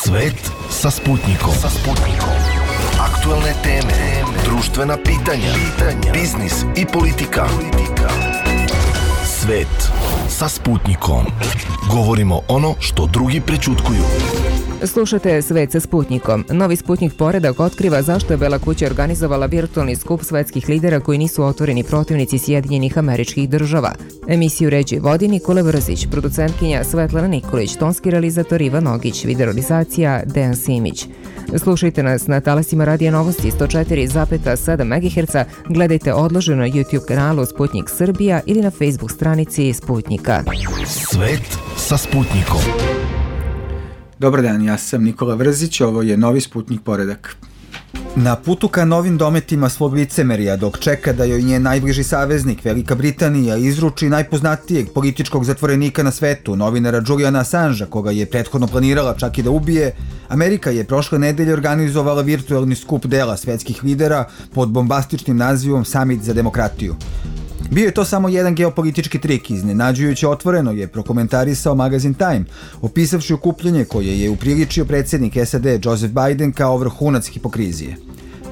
Svet sa Sputnikom. Aktuelne teme, društvena pitanja, biznis i politika. Svet sa Sputnikom. Govorimo ono što drugi prećutkuju. Slušate Svet sa Sputnikom. Novi Sputnik poredak otkriva zašto je Bela kuća organizovala virtualni skup svetskih lidera koji nisu otvoreni protivnici Sjedinjenih Američkih Država. Emisiju ređi vodi Nikola Vrzić, producentkinja Svetlana Nikolić, tonski realizator Ivan Nogić, videorealizacija Dejan Simić. Slušajte nas na talasima Radija Novosti 104,7 MHz, gledajte odloženo na YouTube kanalu Sputnik Srbija ili na Facebook stranici Sputnika. Svet sa Sputnikom. Dobar dan, ja sam Nikola Vrzić, ovo je Novi Sputnik poredak. Na putu ka novim dometima svog licemerija, dok čeka da joj njen najbliži saveznik, Velika Britanija, izruči najpoznatijeg političkog zatvorenika na svetu, novinara Juliana Assangea, koga je prethodno planirala čak i da ubije, Amerika je prošle nedelje organizovala virtualni skup dela svetskih lidera pod bombastičnim nazivom Summit za demokratiju. Bio je to samo jedan geopolitički trik, iznenađujuće otvoreno je prokomentarisao magazin Time, opisavši okupljanje koje je upriličio predsjednik SAD Joseph Biden kao vrhunac hipokrizije.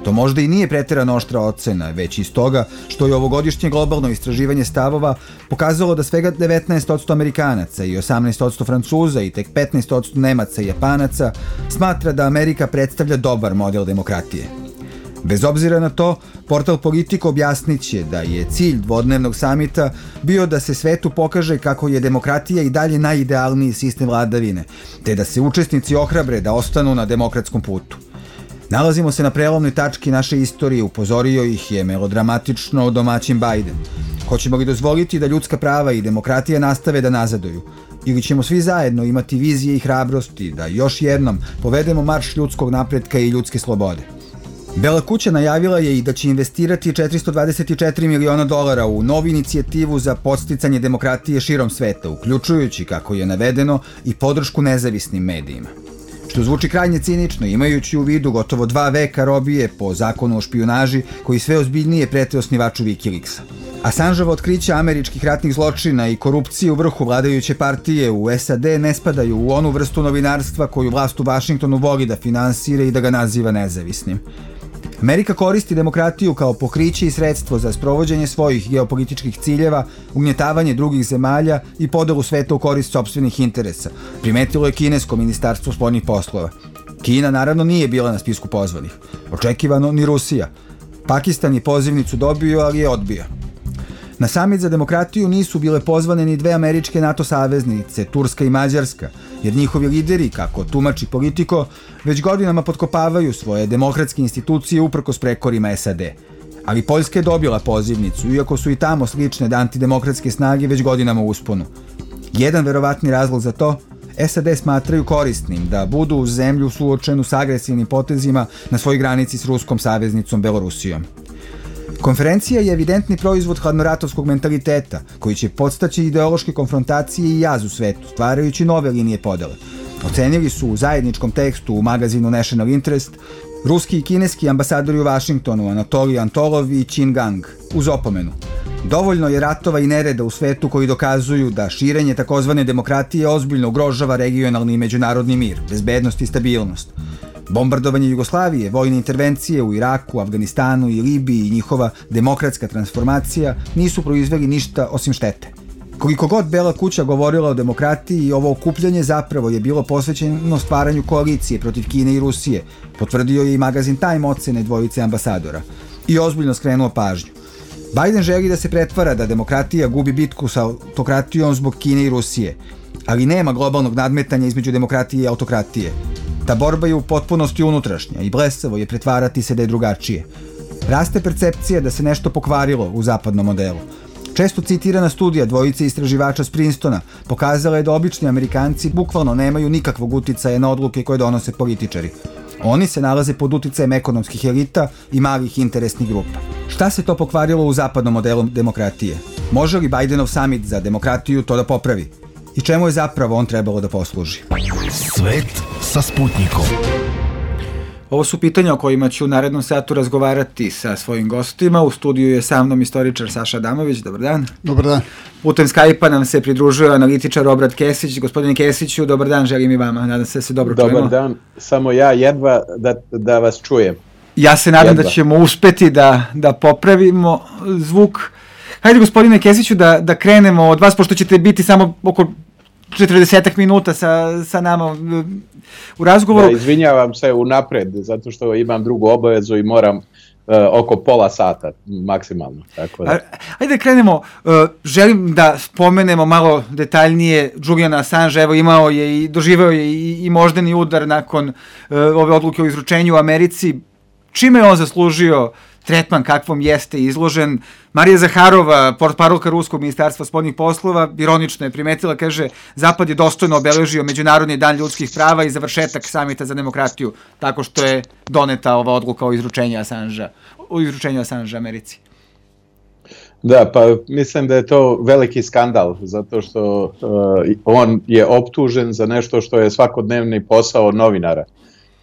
To možda i nije preterano oštra ocena, već iz toga što je ovogodišnje globalno istraživanje stavova pokazalo da svega 19% Amerikanaca i 18% Francuza i tek 15% Nemaca i Japanaca smatra da Amerika predstavlja dobar model demokratije. Bez obzira na to, portal Politico objasnit će da je cilj dvodnevnog samita bio da se svetu pokaže kako je demokratija i dalje najidealniji sistem vladavine, te da se učesnici ohrabre da ostanu na demokratskom putu. Nalazimo se na prelomnoj tački naše istorije, upozorio ih je melodramatično domaćin Biden. Hoćemo li dozvoliti da ljudska prava i demokratija nastave da nazaduju? Ili ćemo svi zajedno imati vizije i hrabrosti da još jednom povedemo marš ljudskog napretka i ljudske slobode? Bela kuća najavila je i da će investirati $424 miliona u novu inicijativu za podsticanje demokratije širom sveta, uključujući, kako je navedeno, i podršku nezavisnim medijima. Što zvuči krajnje cinično, imajući u vidu gotovo 2 veka robije po zakonu o špijunaži koji sve ozbiljnije prete osnivaču Wikileaksa. Assangeova otkrića američkih ratnih zločina i korupcije u vrhu vladajuće partije u SAD ne spadaju u onu vrstu novinarstva koju vlast u Vašingtonu voli da finansira i da ga naziva nezavisnim. Amerika koristi demokratiju kao pokriće i sredstvo za sprovođenje svojih geopolitičkih ciljeva, ugnjetavanje drugih zemalja i podelu sveta u korist sopstvenih interesa, primetilo je kinesko ministarstvo spoljnih poslova. Kina naravno nije bila na spisku pozvanih. Očekivano ni Rusija. Pakistan je pozivnicu dobio, ali je odbio. Na samit za demokratiju nisu bile pozvane ni 2 američke NATO saveznice, Turska i Mađarska, jer njihovi lideri, kako tumači Politico, već godinama potkopavaju svoje demokratske institucije uprkos prekorima SAD. Ali Poljska je dobila pozivnicu, iako su i tamo slične antidemokratske snage već godinama u usponu. Jedan verovatni razlog za to, SAD smatraju korisnim da budu uz zemlju suočenu s agresivnim potezima na svojoj granici s ruskom saveznicom Belorusijom. Konferencija je evidentni proizvod hladnoratovskog mentaliteta, koji će podstaći ideološke konfrontacije i jaz u svetu, stvarajući nove linije podele. Ocenili su u zajedničkom tekstu u magazinu National Interest ruski i kineski ambasadori u Vašingtonu Anatolij Antolov i Qin Gang, uz opomenu. Dovoljno je ratova i nereda u svetu koji dokazuju da širenje takozvane demokratije ozbiljno ugrožava regionalni i međunarodni mir, bezbednost i stabilnost. Bombardovanje Jugoslavije, vojne intervencije u Iraku, Afganistanu i Libiji i njihova demokratska transformacija nisu proizveli ništa osim štete. Koliko god Bela kuća govorila o demokratiji, ovo okupljanje zapravo je bilo posvećeno stvaranju koalicije protiv Kine i Rusije, potvrdio je i magazin Time ocene dvojice ambasadora i ozbiljno skrenuo pažnju. Biden želi da se pretvara da demokratija gubi bitku sa autokratijom zbog Kine i Rusije, ali nema globalnog nadmetanja između demokratije i autokratije. Ta borba je u potpunosti unutrašnja i blesavo je pretvarati se da je drugačije. Raste percepcija da se nešto pokvarilo u zapadnom modelu. Često citirana studija dvojice istraživača s Princetona pokazala je da obični Amerikanci bukvalno nemaju nikakvog uticaja na odluke koje donose političari. Oni se nalaze pod uticajem ekonomskih elita i malih interesnih grupa. Šta se to pokvarilo u zapadnom modelu demokratije? Može li Bidenov summit za demokratiju to da popravi? I čemu je zapravo on trebalo da posluži? Svet sa Sputnikom. Ovo su pitanja o kojima ću u narednom satu razgovarati sa svojim gostima. U studiju je sa mnom istoričar Saša Adamović. Dobar dan. Dobar dan. Putem Skype-a nam se pridružuje analitičar Obrad Kesić. Gospodine Kesiću, dobar dan, želim i vama. Nadam se da se dobro čujemo. Dobar dan, samo ja jedva da vas čujem. Ja se nadam da ćemo uspeti da popravimo zvuk. Hajde, gospodine Kesiću, da krenemo od vas, pošto ćete biti samo oko 40 minuta sa nama u razgovoru. Da, izvinjavam se unapred, zato što imam drugu obavezu i moram oko pola sata maksimalno. Tako da. Ajde krenemo, želim da spomenemo malo detaljnije Juliana Assange, evo imao je i doživeo je i moždani udar nakon ove odluke o izručenju u Americi. Čime je on zaslužio tretman kakvom jeste izložen? Marija Zaharova, portparolka Ruskog ministarstva spoljnih poslova, ironično je primetila, kaže, Zapad je dostojno obeležio Međunarodni dan ljudskih prava i završetak samita za demokratiju, tako što je doneta ova odluka o izručenju Assange Americi. Da, pa mislim da je to veliki skandal, zato što on je optužen za nešto što je svakodnevni posao novinara.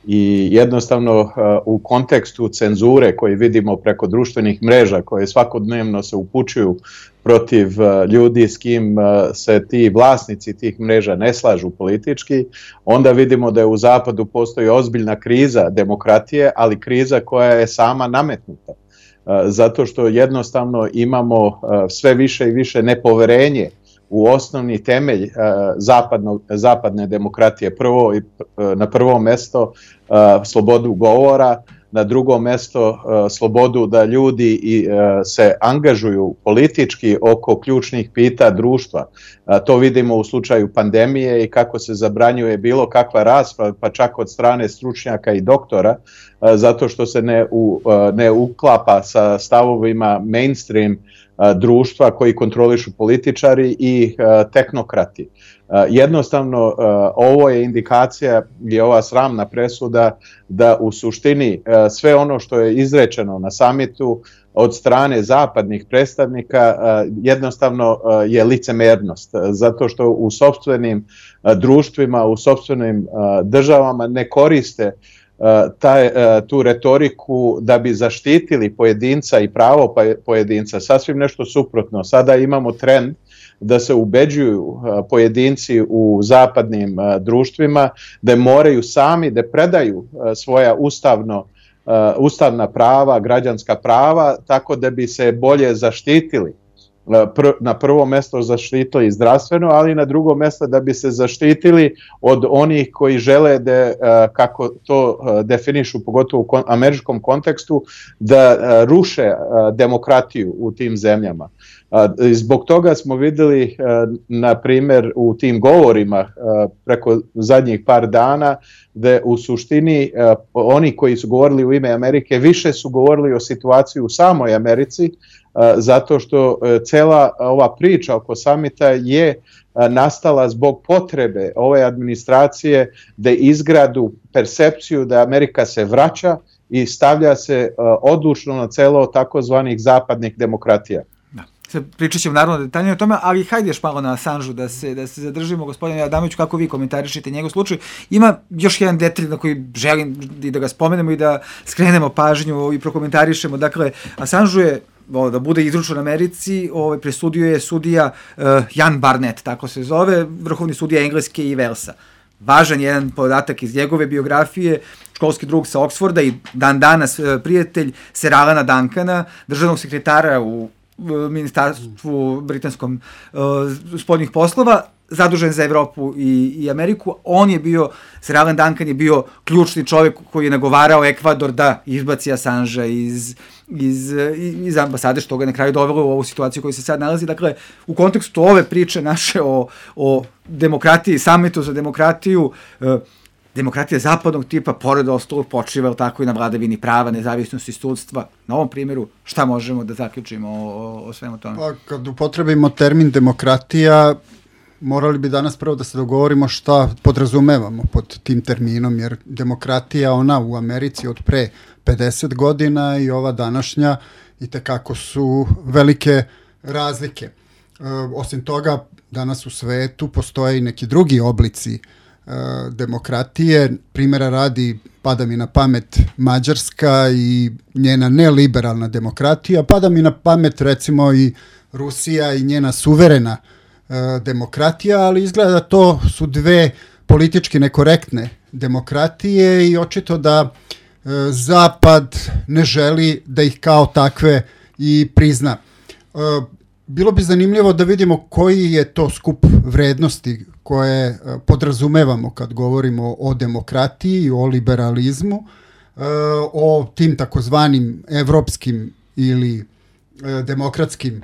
I jednostavno u kontekstu cenzure koji vidimo preko društvenih mreža koje svakodnevno se upućuju protiv ljudi s kim se ti vlasnici tih mreža ne slažu politički, onda vidimo da je u Zapadu postoji ozbiljna kriza demokratije, ali kriza koja je sama nametnuta. Zato što jednostavno imamo sve više i više nepoverenje u osnovni temelj zapadne demokratije. Na prvo mesto slobodu govora, na drugo mesto slobodu da ljudi se angažuju politički oko ključnih pitanja društva. To vidimo u slučaju pandemije i kako se zabranjuje bilo kakva rasprava, pa čak od strane stručnjaka i doktora, zato što se ne uklapa sa stavovima mainstream društva koji kontrolišu političari i tehnokrati. Jednostavno, ovo je indikacija i ova sramna presuda da u suštini sve ono što je izrečeno na samitu od strane zapadnih predstavnika jednostavno je licemernost, zato što u sopstvenim društvima, u sopstvenim državama ne koriste tu retoriku da bi zaštitili pojedinca i pravo pojedinca. Sasvim nešto suprotno. Sada imamo trend da se ubeđuju pojedinci u zapadnim društvima da moraju sami da predaju svoja ustavna prava, građanska prava, tako da bi se bolje zaštitili. Na prvo mesto zaštitili zdravstveno, ali na drugo mesto da bi se zaštitili od onih koji žele da, kako to definišu, pogotovo u američkom kontekstu, da ruše demokratiju u tim zemljama. Zbog toga smo videli, na primjer, u tim govorima preko zadnjih par dana, da u suštini oni koji su govorili u ime Amerike više su govorili o situaciji u samoj Americi, zato što cela ova priča oko samita je nastala zbog potrebe ove administracije da izgradu percepciju da Amerika se vraća i stavlja se odlučno na celo takozvanih zapadnih demokratija. Pričat ćemo naravno detaljnije o tome, ali hajde još malo na Assangeu da se zadržimo. Gospodine Adamoviću, kako vi komentarišete njegov slučaj? Ima još jedan detalj na koji želim i da ga spomenemo i da skrenemo pažnju i prokomentarišemo. Dakle, Assangeu je da bude izručen Americi, presudio je sudija Jan Barnett, tako se zove, vrhovni sudija Engleske i Velsa. Važan jedan podatak iz njegove biografije, školski drug sa Oksforda i dan danas prijatelj Sir Alana Duncana, državnog sekretara u ministarstvu britanskom spoljnih poslova, zadužen za Evropu i Ameriku. On je bio, Sir Alan Duncan je bio ključni čovjek koji je nagovarao Ekvador da izbaci Assangea iz ambasade, što ga je na kraju dovelo u ovu situaciju u kojoj se sad nalazi. Dakle, u kontekstu ove priče naše o demokratiji, samitu za demokratiju, demokratija zapadnog tipa, pored ostalog, počiva tako i na vladavini prava, nezavisnosti sudstva. Na ovom primjeru, šta možemo da zaključimo o svemu tome? Pa, kad upotrebimo termin demokratija, morali bi danas prvo da se dogovorimo šta podrazumevamo pod tim terminom, jer demokratija, ona u Americi od pre 50 godina i ova današnja, itekako su velike razlike. Osim toga, danas u svetu postoje i neki drugi oblici demokratije. Primjera radi, pada mi na pamet Mađarska i njena neliberalna demokratija, pada mi na pamet recimo i Rusija i njena suverena demokratija, ali izgleda to su dve politički nekorektne demokratije i očito da Zapad ne želi da ih kao takve i prizna. Bilo bi zanimljivo da vidimo koji je to skup vrednosti koje podrazumevamo kad govorimo o demokratiji, o liberalizmu, o tim takozvanim evropskim ili demokratskim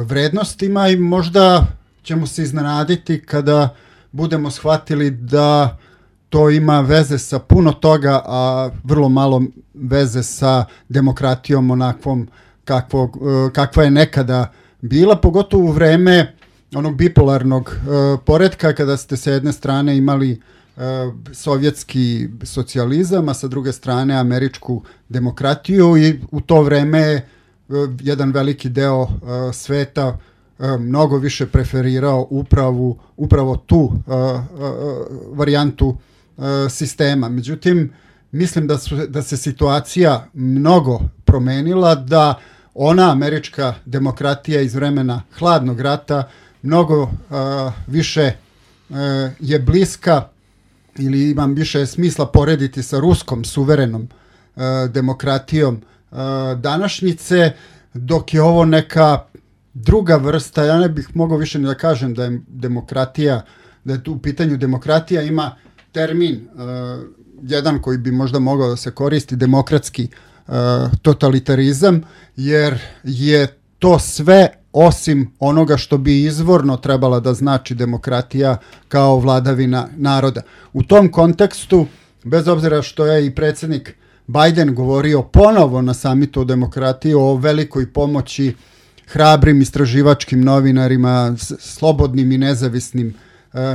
vrednostima i možda ćemo se iznenaditi kada budemo shvatili da to ima veze sa puno toga, a vrlo malo veze sa demokratijom onakvom kakva je nekada bila, pogotovo u vreme onog bipolarnog poretka kada ste sa jedne strane imali sovjetski socijalizam, a sa druge strane američku demokratiju i u to vreme jedan veliki deo sveta mnogo više preferirao upravo tu varijantu sistema. Međutim, mislim da se situacija mnogo promenila, da ona američka demokratija iz vremena hladnog rata mnogo više je bliska ili imam više smisla porediti sa ruskom suverenom demokratijom današnjice, dok je ovo neka druga vrsta. Ja ne bih mogao više ni da kažem da je demokratija, da je tu u pitanju demokratija, ima termin jedan koji bi možda mogao da se koristi, demokratski totalitarizam, jer je to sve osim onoga što bi izvorno trebala da znači demokratija kao vladavina naroda. U tom kontekstu, bez obzira što je i predsjednik Biden govorio ponovo na samitu o demokratiji o velikoj pomoći hrabrim istraživačkim novinarima, slobodnim i nezavisnim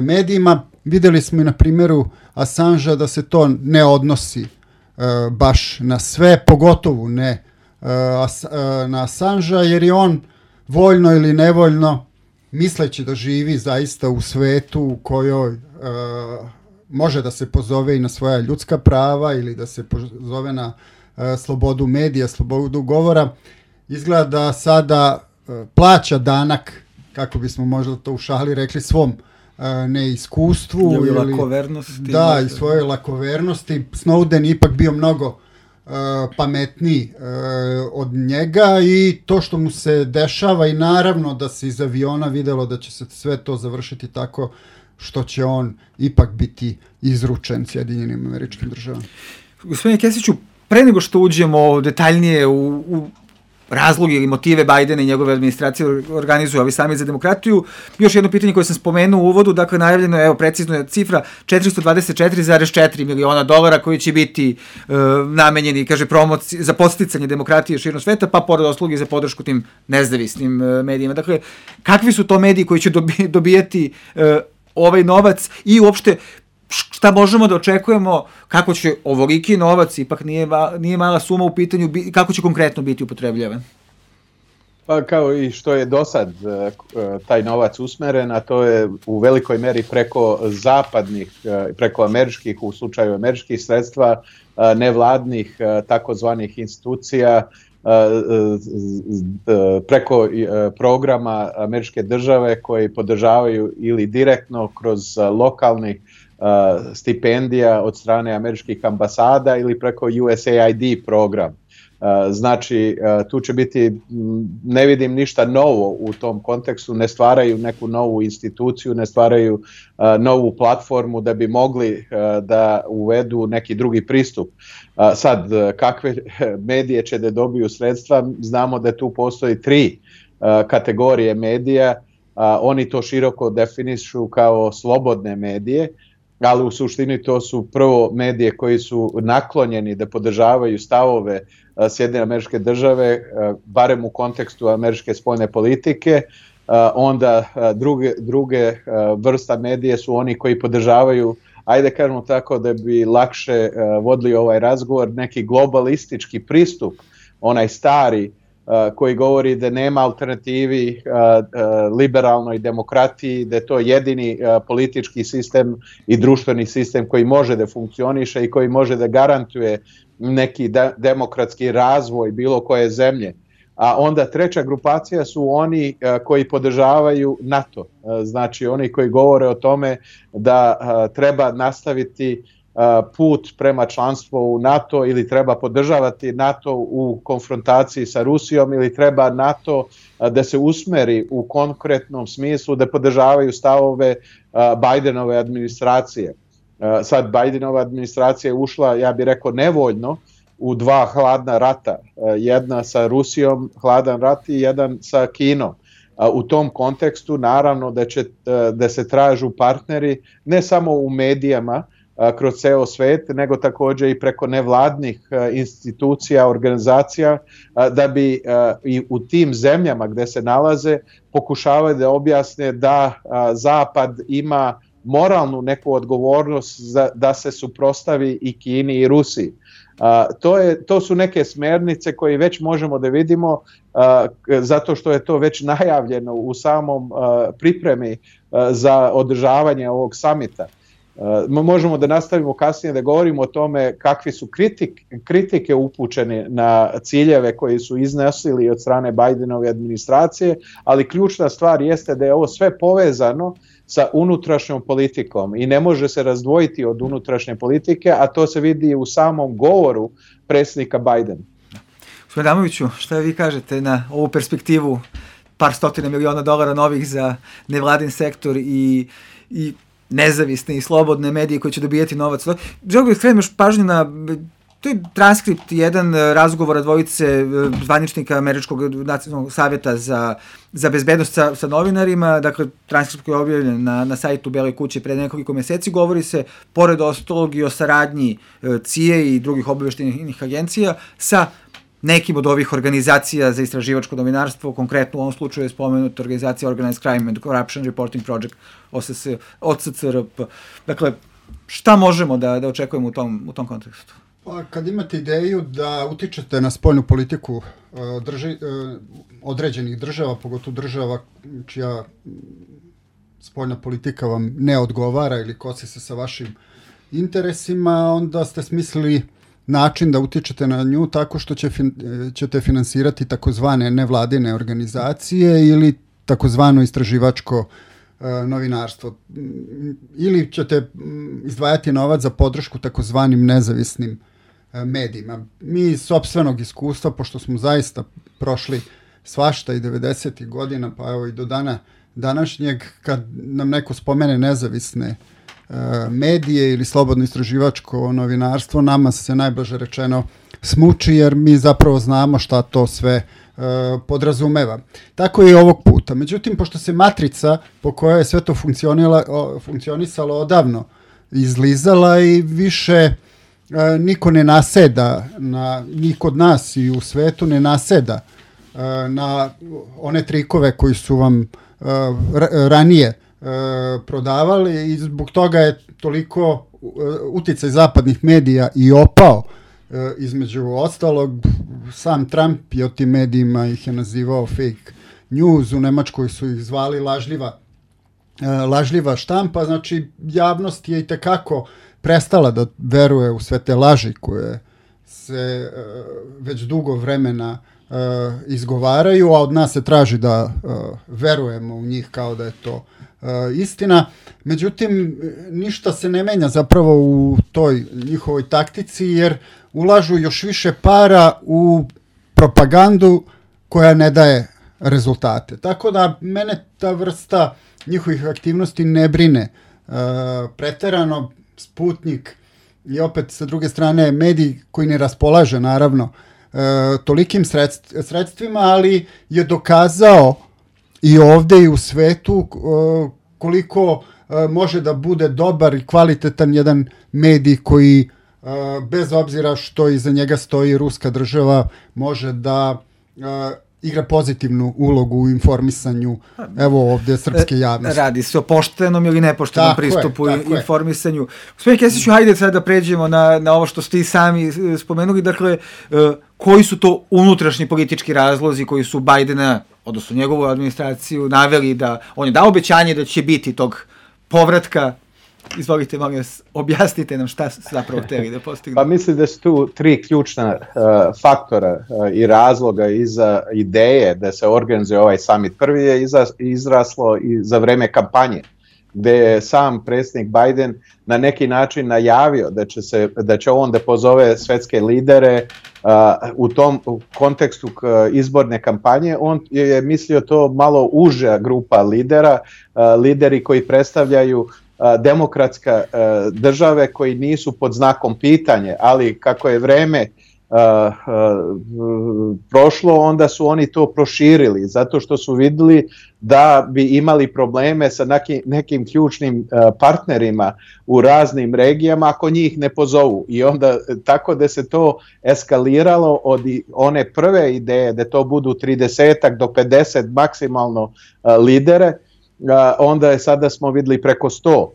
medijima, vidjeli smo i na primjeru Assangea da se to ne odnosi baš na sve, pogotovo ne na Assangea, jer je on voljno ili nevoljno, misleći da živi zaista u svetu u kojoj može da se pozove i na svoja ljudska prava ili da se pozove na slobodu medija, slobodu govora, izgleda da sada plaća danak, kako bismo možda to u šali rekli, svom neiskustvu ili lakovernosti. Da, i svoje lakovernosti. Snowden je ipak bio mnogo pametniji od njega i to što mu se dešava i naravno da se iz aviona videlo da će se sve to završiti tako što će on ipak biti izručen Sjedinjenim Američkim Državama. Gospodine Kesiću, pre nego što uđemo detaljnije u razloge ili motive Bajdena i njegove administracije organizuju ovi samit za demokratiju, još jedno pitanje koje sam spomenuo u uvodu, dakle najavljeno je, evo precizno je cifra, $424,4 miliona koji će biti namenjeni, kaže, promociji za podsticanje demokratije širom sveta, pa pored usluge za podršku tim nezavisnim medijima. Dakle, kakvi su to mediji koji će dobijati ovaj novac i uopšte šta možemo da očekujemo, kako će ovoliki novac, ipak nije mala suma u pitanju, kako će konkretno biti upotrebljavan? Pa kao i što je do sad taj novac usmeren, a to je u velikoj meri preko zapadnih, preko američkih, u slučaju američkih sredstva, nevladnih takozvanih institucija, preko programa američke države koji podržavaju ili direktno kroz lokalnih stipendija od strane američkih ambasada ili preko USAID program. Znači, tu će biti, ne vidim ništa novo u tom kontekstu, ne stvaraju neku novu instituciju, ne stvaraju novu platformu da bi mogli da uvedu neki drugi pristup. Sad, kakve medije će da dobiju sredstva, znamo da tu postoji 3 kategorije medija, oni to široko definišu kao slobodne medije, ali u suštini to su prvo medije koji su naklonjeni da podržavaju stavove Sjedinjene Američke Države, barem u kontekstu američke spoljne politike. Onda druge vrsta medije su oni koji podržavaju, ajde kažemo tako da bi lakše vodili ovaj razgovor, neki globalistički pristup, onaj stari koji govori da nema alternativi liberalnoj demokratiji, da je to jedini politički sistem i društveni sistem koji može da funkcioniše i koji može da garantuje neki demokratski razvoj bilo koje zemlje. A onda treća grupacija su oni koji podržavaju NATO, znači oni koji govore o tome da treba nastaviti put prema članstvu u NATO ili treba podržavati NATO u konfrontaciji sa Rusijom ili treba NATO da se usmeri u konkretnom smislu da podržavaju stavove Bidenove administracije. Sad Bidenova administracija je ušla, ja bih rekao, nevoljno u dva hladna rata, jedna sa Rusijom hladan rat i jedan sa Kinom. U tom kontekstu naravno da se tražu partneri ne samo u medijama kroz ceo svet, nego također i preko nevladnih institucija, organizacija, da bi i u tim zemljama gde se nalaze pokušavaju da objasne da Zapad ima moralnu neku odgovornost da se suprotstavi i Kini i Rusiji. To su neke smernice koje već možemo da vidimo zato što je to već najavljeno u samom pripremi za održavanje ovog samita. Možemo da nastavimo kasnije da govorimo o tome kakvi su kritike upućene na ciljeve koji su iznosili od strane Bidenove administracije, ali ključna stvar jeste da je ovo sve povezano sa unutrašnjom politikom i ne može se razdvojiti od unutrašnje politike, a to se vidi u samom govoru predsjednika Bidena. Gospodin Adamoviću, šta vi kažete na ovu perspektivu par stotina miliona dolara novih za nevladin sektor i nezavisne i slobodne medije koji će dobijati novac? Želim bih skrenuti još pažnju na... To je transkript, jedan razgovora dvojice zvaničnika Američkog nacionalnog savjeta za bezbednost sa novinarima, dakle transkript koji je objavljen na sajtu Bele kuće pre nekoliko meseci, govori se, pored ostalog, i o saradnji CIA i drugih obaveštajnih agencija sa nekim od ovih organizacija za istraživačko novinarstvo, konkretno u ovom slučaju je spomenuta organizacija Organized Crime and Corruption Reporting Project, OCCRP. Dakle, šta možemo da očekujemo u tom kontekstu? Pa kad imate ideju da utičete na spoljnu politiku određenih država, pogotovo država čija spoljna politika vam ne odgovara ili kosi se sa vašim interesima, onda ste smislili način da utičete na nju tako što ćete finansirati takozvane nevladine organizacije ili takozvano istraživačko novinarstvo. Ili ćete izdvajati novac za podršku takozvanim nezavisnim medijima. Mi iz sopstvenog iskustva, pošto smo zaista prošli svašta i 90. godina, pa evo i do dana današnjeg, kad nam neko spomene nezavisne medije ili slobodno istraživačko novinarstvo, nama se najblaže rečeno smuči, jer mi zapravo znamo šta to sve podrazumeva. Tako je i ovog puta. Međutim, pošto se matrica po kojoj je sve to funkcionisalo odavno izlizala i više niko ne naseda, ni kod nas i u svetu ne naseda na one trikove koji su vam ranije prodavali i zbog toga je toliko uticaj zapadnih medija i opao. Između ostalog, sam Trump je o tim medijima ih je nazivao fake news, u Nemačkoj su ih zvali lažljiva štampa, znači javnost je i tekako prestala da veruje u sve te laži koje se već dugo vremena izgovaraju, a od nas se traži da verujemo u njih kao da je to istina. Međutim, ništa se ne menja zapravo u toj njihovoj taktici, jer ulažu još više para u propagandu koja ne daje rezultate. Tako da mene ta vrsta njihovih aktivnosti ne brine preterano. Sputnik i opet sa druge strane medij koji ne raspolaže naravno tolikim sredstvima, ali je dokazao i ovde i u svetu koliko može da bude dobar i kvalitetan jedan medij koji bez obzira što iza njega stoji ruska država može da igra pozitivnu ulogu u informisanju, evo ovdje, srpske javnosti. Radi se o poštenom ili nepoštenom pristupu informisanju. Gospodin Kesiću, hajde sad da pređemo na ovo što ste i sami spomenuli, dakle, koji su to unutrašnji politički razlozi koji su Bajdena, odnosno njegovu administraciju, naveli da on je dao obećanje da će biti tog povratka. Izvolite, molim vas, objasnite nam šta zapravo hteli da postignu. Pa mislim da su tu tri ključna faktora i razloga iza ideje da se organizuje ovaj summit. Prvi je izraslo i za vreme kampanje, gde je sam predsjednik Biden na neki način najavio da će on da pozove svetske lidere u tom kontekstu izborne kampanje. On je mislio to malo uža grupa lidera, lideri koji predstavljaju demokratska države koji nisu pod znakom pitanje, ali kako je vreme prošlo, onda su oni to proširili, zato što su vidjeli da bi imali probleme sa nekim ključnim partnerima u raznim regijama ako njih ne pozovu. I onda tako da se to eskaliralo od one prve ideje da to budu 30 do 50 maksimalno lidere, onda je sada smo vidjeli preko 100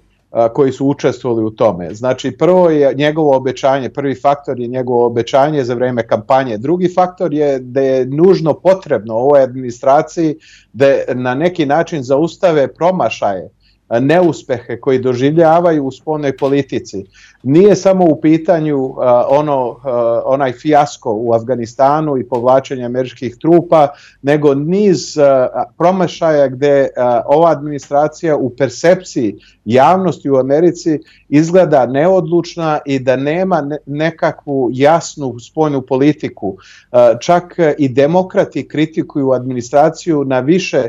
koji su učestvovali u tome. Znači, prvo je njegovo obećanje, prvi faktor je njegovo obećanje za vreme kampanje. Drugi faktor je da je nužno potrebno ovoj administraciji da na neki način zaustave promašaje, neuspehe koji doživljavaju u spoljnoj politici. Nije samo u pitanju onaj fijasko u Afganistanu i povlačenje američkih trupa, nego niz promašaja gde ova administracija u percepciji javnosti u Americi izgleda neodlučna i da nema nekakvu jasnu spoljnu politiku. Čak i demokrati kritikuju administraciju na više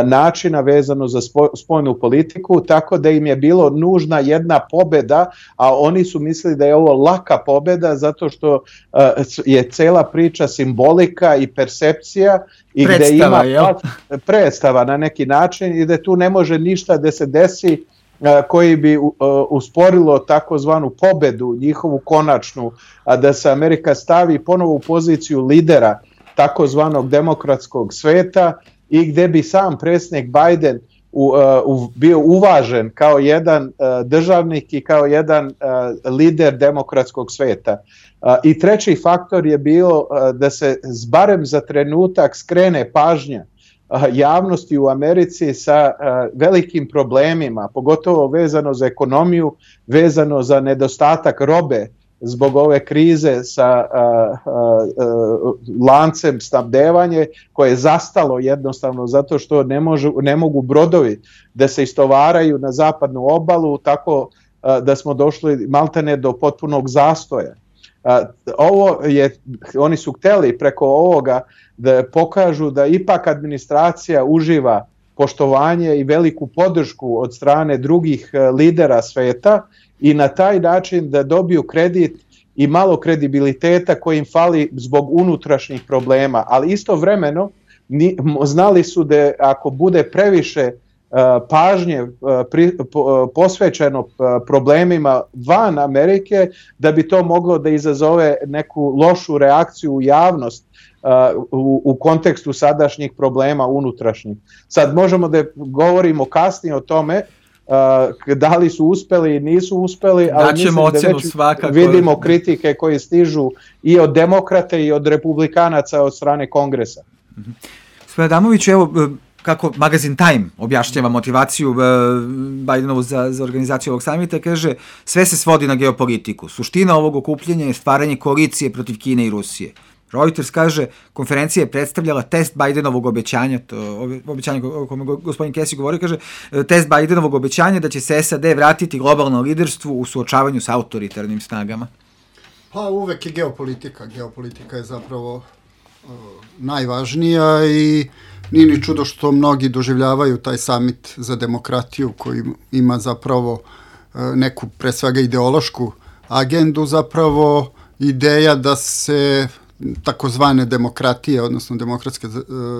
načina vezano za spoljnu politiku, tako da im je bilo nužna jedna pobeda, a oni su mislili da je ovo laka pobeda zato što je cela priča simbolika i percepcija i predstava, gde ima predstava na neki način i da tu ne može ništa da se desi koji bi usporilo takozvanu pobedu, njihovu konačnu, a da se Amerika stavi ponovo u poziciju lidera takozvanog demokratskog sveta i gde bi sam predsjednik Biden bio uvažen kao jedan državnik i kao jedan lider demokratskog sveta. I treći faktor je bilo da se barem za trenutak skrene pažnja javnosti u Americi sa velikim problemima, pogotovo vezano za ekonomiju, vezano za nedostatak robe zbog ove krize sa lancem snabdevanje koje je zastalo jednostavno zato što ne mogu brodovi da se istovaraju na zapadnu obalu, tako da smo došli maltene do potpunog zastoja. Oni su hteli preko ovoga da pokažu da ipak administracija uživa poštovanje i veliku podršku od strane drugih lidera sveta i na taj način da dobiju kredit i malo kredibiliteta koji im fali zbog unutrašnjih problema, ali istovremeno znali su da ako bude previše pažnje posvećeno problemima van Amerike, da bi to moglo da izazove neku lošu reakciju u javnost u kontekstu sadašnjih problema unutrašnjih. Sad možemo da govorimo kasnije o tome da li su uspeli i nisu uspeli, ali mislim da već vidimo kritike koje stižu i od demokrate i od republikanaca od strane Kongresa. Gospodin Adamović, evo kako magazin Time objašnjava motivaciju Bidenovu za organizaciju ovog samita, kaže sve se svodi na geopolitiku. Suština ovog okupljenja je stvaranje koalicije protiv Kine i Rusije. Reuters kaže, konferencija je predstavljala test Bidenovog obećanja, to obećanje o kome gospodin Casey govori, kaže, test Bidenovog obećanja da će se SAD vratiti globalno liderstvu u suočavanju sa autoritarnim snagama. Pa uvek je geopolitika. Geopolitika je zapravo najvažnija i nije ni čudo što mnogi doživljavaju taj summit za demokratiju koji ima zapravo neku pre svega ideološku agendu, zapravo ideja da se takozvane demokratije, odnosno demokratske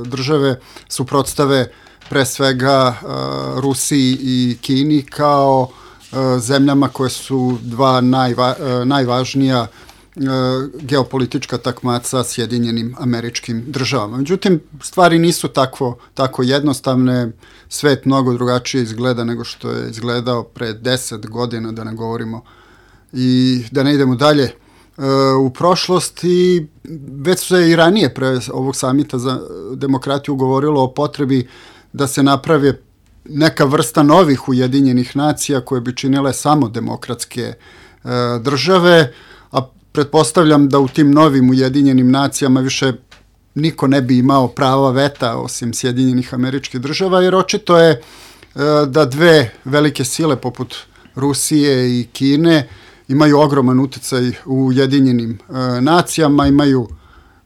države suprotstave pre svega Rusiji i Kini kao zemljama koje su dva najvažnija geopolitička takmaca Sjedinjenim Američkim Državama. Međutim, stvari nisu tako jednostavne, svet mnogo drugačije izgleda nego što je izgledao pre 10 godina, da ne govorimo i da ne idemo dalje u prošlost, i već se i ranije pre ovog samita za demokratiju govorilo o potrebi da se naprave neka vrsta novih Ujedinjenih nacija koje bi činile samo demokratske države, a pretpostavljam da u tim novim Ujedinjenim nacijama više niko ne bi imao prava veta osim Sjedinjenih Američkih Država, jer očito je da dve velike sile poput Rusije i Kine imaju ogroman uticaj u Ujedinjenim nacijama, imaju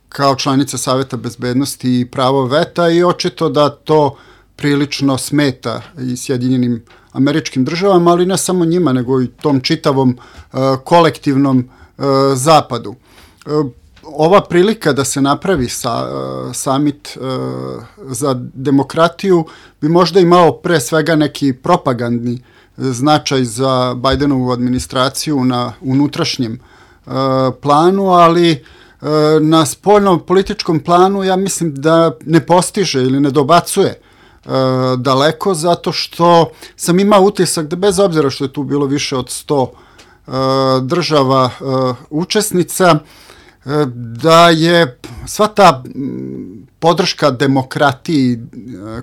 kao članice Saveta bezbednosti i pravo veta, i očito da to prilično smeta i Sjedinjenim Američkim Državama, ali ne samo njima, nego i tom čitavom kolektivnom zapadu. Ova prilika da se napravi samit za demokratiju bi možda imao pre svega neki propagandni značaj za Bajdenovu administraciju na unutrašnjem planu, ali na spoljnom političkom planu ja mislim da ne postiže ili ne dobacuje daleko, zato što sam imao utisak da bez obzira što je tu bilo više od 100 država učesnica, da je sva ta podrška demokratiji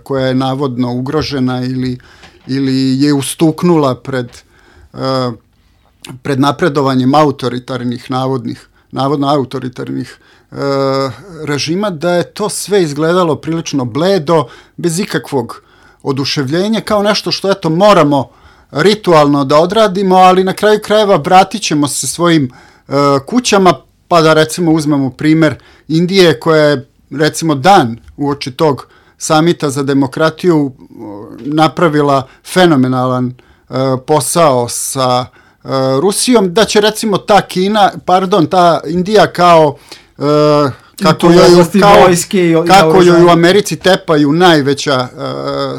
koja je navodno ugrožena ili je ustuknula pred napredovanjem autoritarnih, navodno autoritarnih režima, da je to sve izgledalo prilično bledo, bez ikakvog oduševljenja, kao nešto što eto moramo ritualno da odradimo, ali na kraju krajeva vratit ćemo se svojim kućama, pa da recimo uzmemo primer Indije, koja je recimo dan uoči tog samita za demokratiju napravila fenomenalan posao sa Rusijom, da će recimo ta Indija kao kako joj u Americi tepaju najveća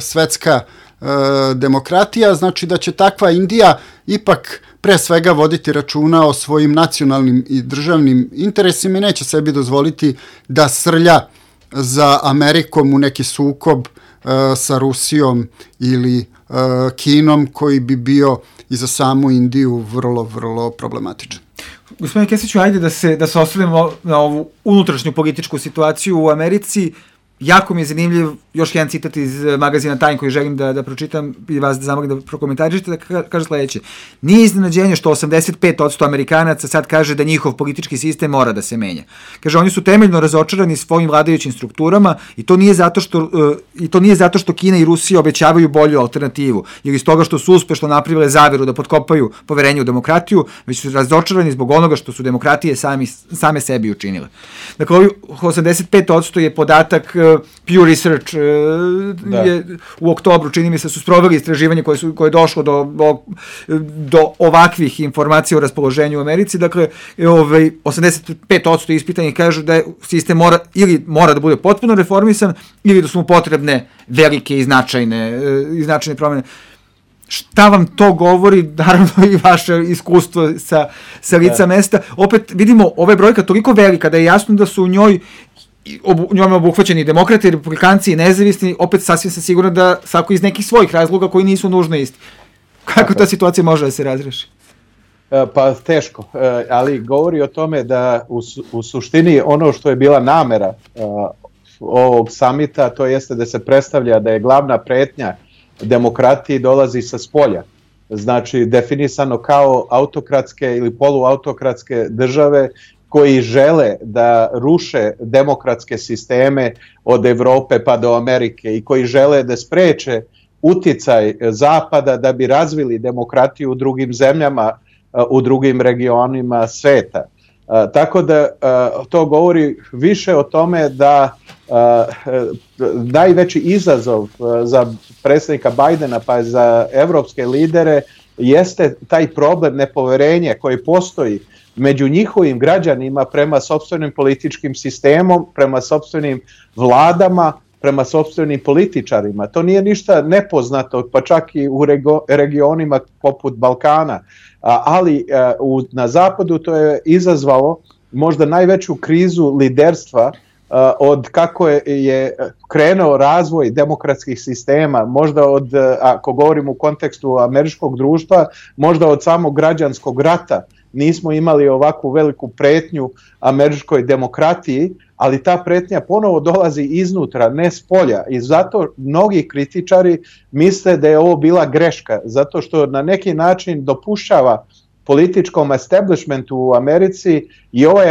svetska demokratija, znači da će takva Indija ipak pre svega voditi računa o svojim nacionalnim i državnim interesima i neće sebi dozvoliti da srlja za Amerikom u neki sukob sa Rusijom ili Kinom, koji bi bio i za samu Indiju vrlo, vrlo problematičan. Gospodine Kesiću, ajde da se osvrnemo na ovu unutrašnju političku situaciju u Americi. Jako mi je zanimljiv još jedan citat iz magazina Time koji želim da pročitam i vas da zamolim da prokomentarišete, da kaže sledeće. Nije iznenađenje što 85% Amerikanaca sad kaže da njihov politički sistem mora da se menja. Kaže, oni su temeljno razočarani svojim vladajućim strukturama i to nije zato što Kina i Rusija obećavaju bolju alternativu ili iz toga što su uspešno napravile zaveru da potkopaju poverenje u demokratiju, već su razočarani zbog onoga što su demokratije same sebi učinile. Dakle, ovih 85% je podatak Pew Research je u oktobru, čini mi se, su sproveli istraživanje koje je došlo do ovakvih informacija o raspoloženju u Americi. Dakle, 85% ispitanih kažu da sistem mora da bude potpuno reformisan ili da su mu potrebne velike i značajne promene. Šta vam to govori, naravno i vaše iskustvo sa lica mesta? Opet vidimo, ova je brojka toliko velika da je jasno da su u njoj obuhvaćeni demokrati, republikanci i nezavisni, opet sasvim sam siguran da svako iz nekih svojih razloga koji nisu nužno isti. Kako ta situacija može da se razreši? Pa teško, ali govori o tome da u suštini ono što je bila namera ovog samita, to jeste da se predstavlja da je glavna pretnja demokratiji dolazi sa spolja. Znači definisano kao autokratske ili poluautokratske države koji žele da ruše demokratske sisteme od Evrope pa do Amerike i koji žele da spreče uticaj Zapada da bi razvili demokratiju u drugim zemljama, u drugim regionima sveta. Tako da to govori više o tome da najveći izazov za predsjednika Bajdena pa za evropske lidere jeste taj problem nepoverenja koji postoji među njihovim građanima prema sopstvenim političkim sistemom, prema sopstvenim vladama prema sopstvenim političarima. To nije ništa nepoznato, pa čak i u regionima poput Balkana, ali na zapadu to je izazvalo možda najveću krizu liderstva od kako je krenuo razvoj demokratskih sistema, možda od, ako govorimo u kontekstu američkog društva, možda od samog građanskog rata. Nismo imali ovakvu veliku pretnju američkoj demokratiji, ali ta pretnja ponovo dolazi iznutra, ne s polja. I zato mnogi kritičari misle da je ovo bila greška, zato što na neki način dopušćava političkom establishmentu u Americi i ovoj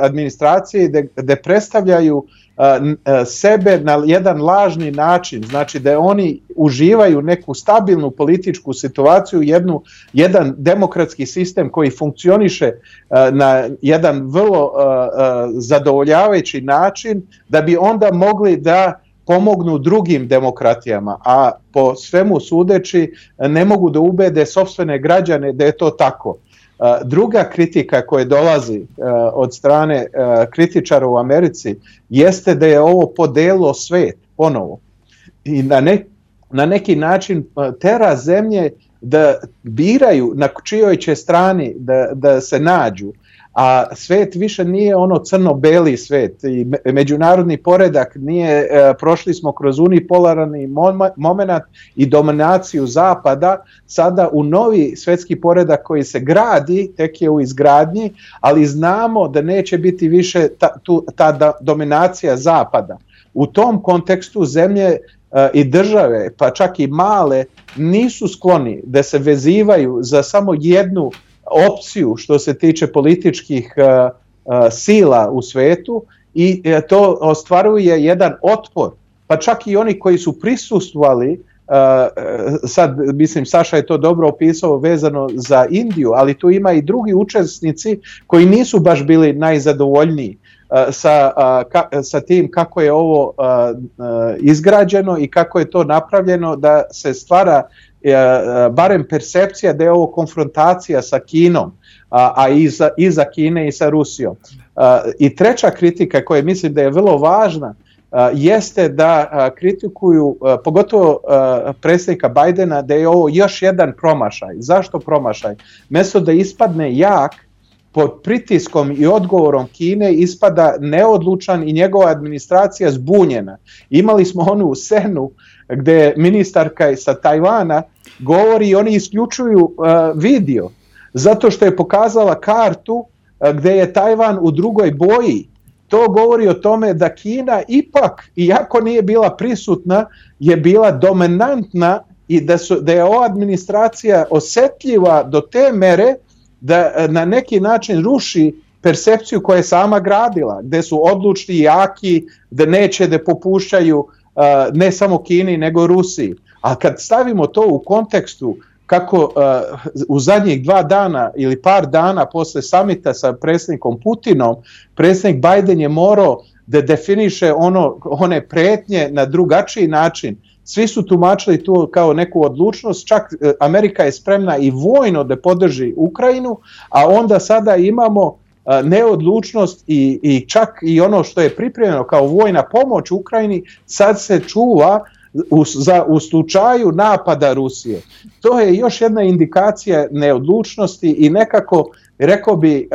administraciji da predstavljaju sebe na jedan lažni način, znači da oni uživaju neku stabilnu političku situaciju, jedan demokratski sistem koji funkcioniše na jedan vrlo zadovoljavajući način, da bi onda mogli da pomognu drugim demokratijama, a po svemu sudeći ne mogu da ubede sopstvene građane da je to tako. Druga kritika koja dolazi od strane kritičara u Americi jeste da je ovo podelilo svet ponovo i na neki način tera zemlje da biraju na čijoj će strani da se nađu. A svet više nije ono crno-beli svet i međunarodni poredak nije, prošli smo kroz unipolarni moment i dominaciju zapada, sada u novi svetski poredak koji se gradi, tek je u izgradnji, ali znamo da neće biti više ta dominacija zapada. U tom kontekstu zemlje i države, pa čak i male, nisu skloni da se vezivaju za samo jednu opciju što se tiče političkih sila u svetu i to ostvaruje jedan otpor. Pa čak i oni koji su prisustvovali, sad mislim Saša je to dobro opisao vezano za Indiju, ali tu ima i drugi učesnici koji nisu baš bili najzadovoljniji sa tim kako je ovo izgrađeno i kako je to napravljeno da se stvara barem percepcija da je ovo konfrontacija sa Kinom, a i za Kine i sa Rusijom. I treća kritika koja mislim da je vrlo važna jeste da kritikuju pogotovo predsjednika Bajdena da je ovo još jedan promašaj. Zašto promašaj? Mesto da ispadne jak, pod pritiskom i odgovorom Kine ispada neodlučan i njegova administracija zbunjena. Imali smo onu scenu gdje ministarka sa Tajvana govori i oni isključuju video zato što je pokazala kartu gdje je Tajvan u drugoj boji. To govori o tome da Kina ipak, iako nije bila prisutna, je bila dominantna i da je ova administracija osjetljiva do te mere da na neki način ruši percepciju koju je sama gradila, gdje su odlučni i jaki, da neće da popušćaju ne samo Kini nego Rusiji. A kad stavimo to u kontekstu kako u zadnjih 2 dana ili par dana posle samita sa predsjednikom Putinom, predsjednik Biden je morao da definiše one pretnje na drugačiji način. Svi su tumačili tu kao neku odlučnost, čak Amerika je spremna i vojno da podrži Ukrajinu, a onda sada imamo neodlučnost i čak i ono što je pripremljeno kao vojna pomoć Ukrajini sad se čuva u slučaju napada Rusije. To je još jedna indikacija neodlučnosti i nekako, rekao bi,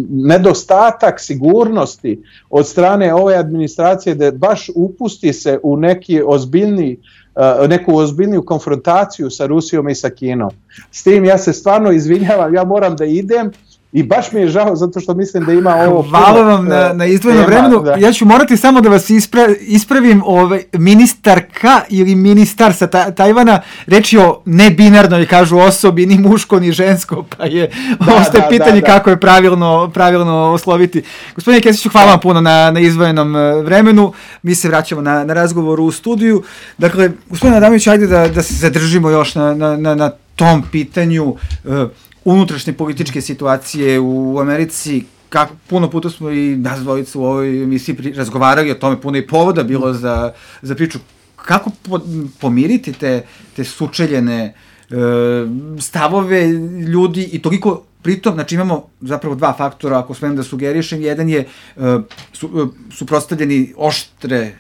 nedostatak sigurnosti od strane ove administracije da baš upusti se u neku ozbiljniju konfrontaciju sa Rusijom i sa Kinom. S tim ja se stvarno izvinjavam, ja moram da idem. I baš mi je žao zato što mislim da ima ovo... Hvala vam na izdvojenom vremenu. Da. Ja ću morati samo da vas ispravim, ministarka ili ministar sa Tajvana reč je o nebinarnoj, kažu, osobi, ni muško ni žensko, pa je ostaje pitanje kako je pravilno osloviti. Gospodine Kesiću, hvala vam puno na izdvojenom vremenu. Mi se vraćamo na razgovor u studiju. Dakle, gospodine Adamović, ajde da se zadržimo još na tom pitanju unutrašnje političke situacije u Americi. Puno puta smo i nas dvojica u ovoj emisiji razgovarali o tome, puno i povoda bilo za priču. Kako pomiriti te sučeljene stavove ljudi i toliko Pritom, znači imamo zapravo dva faktora, ako smem da sugerišem. Jedan je suprotstavljeni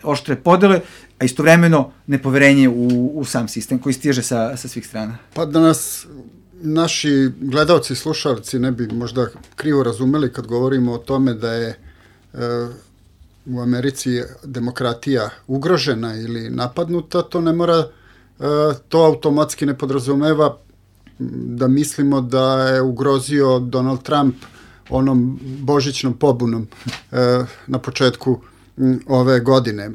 oštre podele, a istovremeno nepoverenje u sam sistem koji stiže sa svih strana. Pa da nas naši gledalci i slušalci ne bi možda krivo razumeli kad govorimo o tome da je u Americi demokratija ugrožena ili napadnuta, to ne mora, to automatski ne podrazumeva da mislimo da je ugrozio Donald Trump onom božićnom pobunom na početku ove godine.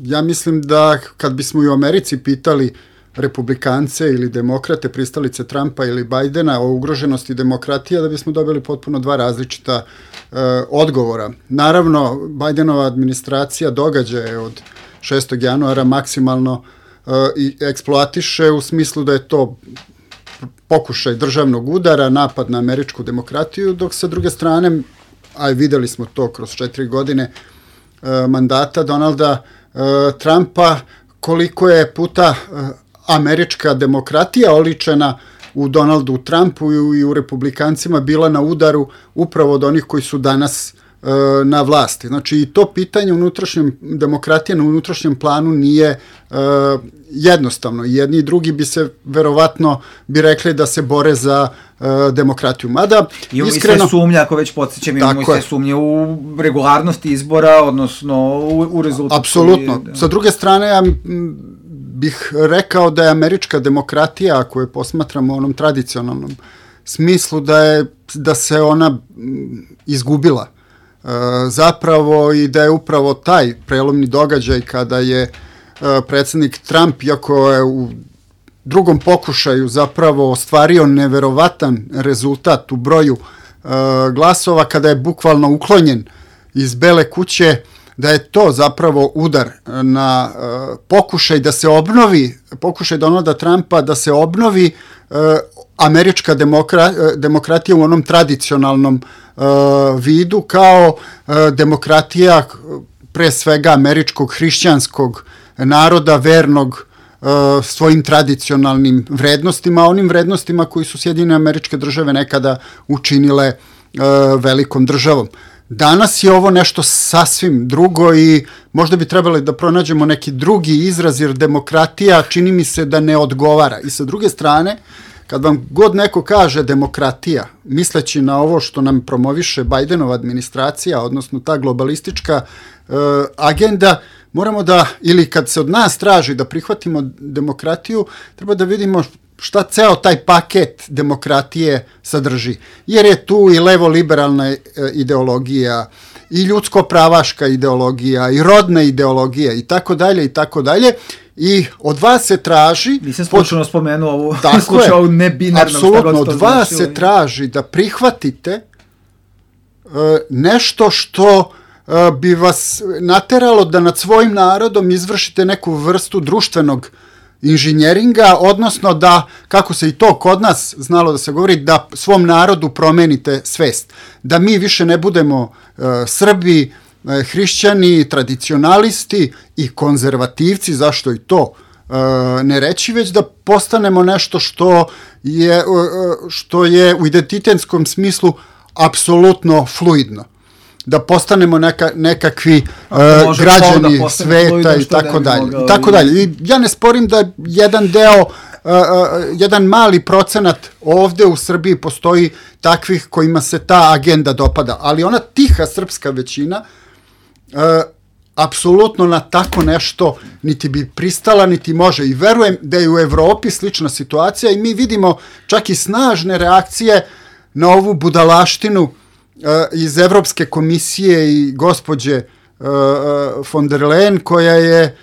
Ja mislim da kad bismo i u Americi pitali republikance ili demokrate, pristalice Trumpa ili Bajdena o ugroženosti demokratija, da bismo dobili potpuno dva različita odgovora. Naravno, Bajdenova administracija događaje od 6. januara maksimalno i eksploatiše u smislu da je to pokušaj državnog udara, napad na američku demokratiju, dok sa druge strane, a videli smo to kroz 4 godine mandata Donalda Trumpa, koliko je puta američka demokratija oličena u Donaldu Trumpu i u republikancima bila na udaru upravo od onih koji su danas na vlasti. Znači i to pitanje demokratije na unutrašnjem planu nije jednostavno. Jedni i drugi bi se verovatno bi rekli da se bore za demokratiju. Mada, imamo iskreno, i sve sumnje, ako već podsjećam, imamo i sve sumnje u regularnosti izbora, odnosno u rezultatu. Apsolutno. Sa druge strane, ja bih rekao da je američka demokratija, ako je posmatramo u onom tradicionalnom smislu, da se ona izgubila zapravo i da je upravo taj prelomni događaj kada je predsjednik Trump, iako je u drugom pokušaju zapravo ostvario neverovatan rezultat u broju glasova, kada je bukvalno uklonjen iz Bele kuće, da je to zapravo udar na pokušaj da se obnovi, pokušaj Donalda Trumpa da se obnovi američka demokratija u onom tradicionalnom vidu kao demokratija pre svega američkog hrišćanskog naroda, vernog svojim tradicionalnim vrednostima, onim vrednostima koji su Sjedinjene Američke Države nekada učinile velikom državom. Danas je ovo nešto sasvim drugo i možda bi trebali da pronađemo neki drugi izraz, jer demokratija čini mi se da ne odgovara. I sa druge strane, kad vam god neko kaže demokratija, misleći na ovo što nam promoviše Bajdenova administracija, odnosno ta globalistička agenda, moramo da, ili kad se od nas traži da prihvatimo demokratiju, treba da vidimo šta ceo taj paket demokratije sadrži. Jer je tu i levo-liberalna ideologija, i ljudsko-pravaška ideologija, i rodna ideologija, i tako dalje, i tako dalje. I od vas se traži... Nisam slučajno spomenuo ovu slučaju, ovu nebinarnom. Apsolutno, od vas se traži da prihvatite nešto što bi vas nateralo da nad svojim narodom izvršite neku vrstu društvenog inženjeringa, odnosno da, kako se i to kod nas znalo da se govori, da svom narodu promenite svest. Da mi više ne budemo Srbi, hrišćani, tradicionalisti i konzervativci, zašto i to ne reći, već da postanemo nešto što je u identitetskom smislu apsolutno fluidno. Da postanemo nekakvi građani sveta i tako dalje. I ja ne sporim da jedan mali procenat ovde u Srbiji postoji takvih kojima se ta agenda dopada, ali ona tiha srpska većina apsolutno na tako nešto niti bi pristala, niti može. I verujem da je u Evropi slična situacija i mi vidimo čak i snažne reakcije na ovu budalaštinu iz Evropske komisije i gospođe von der Leyen, koja je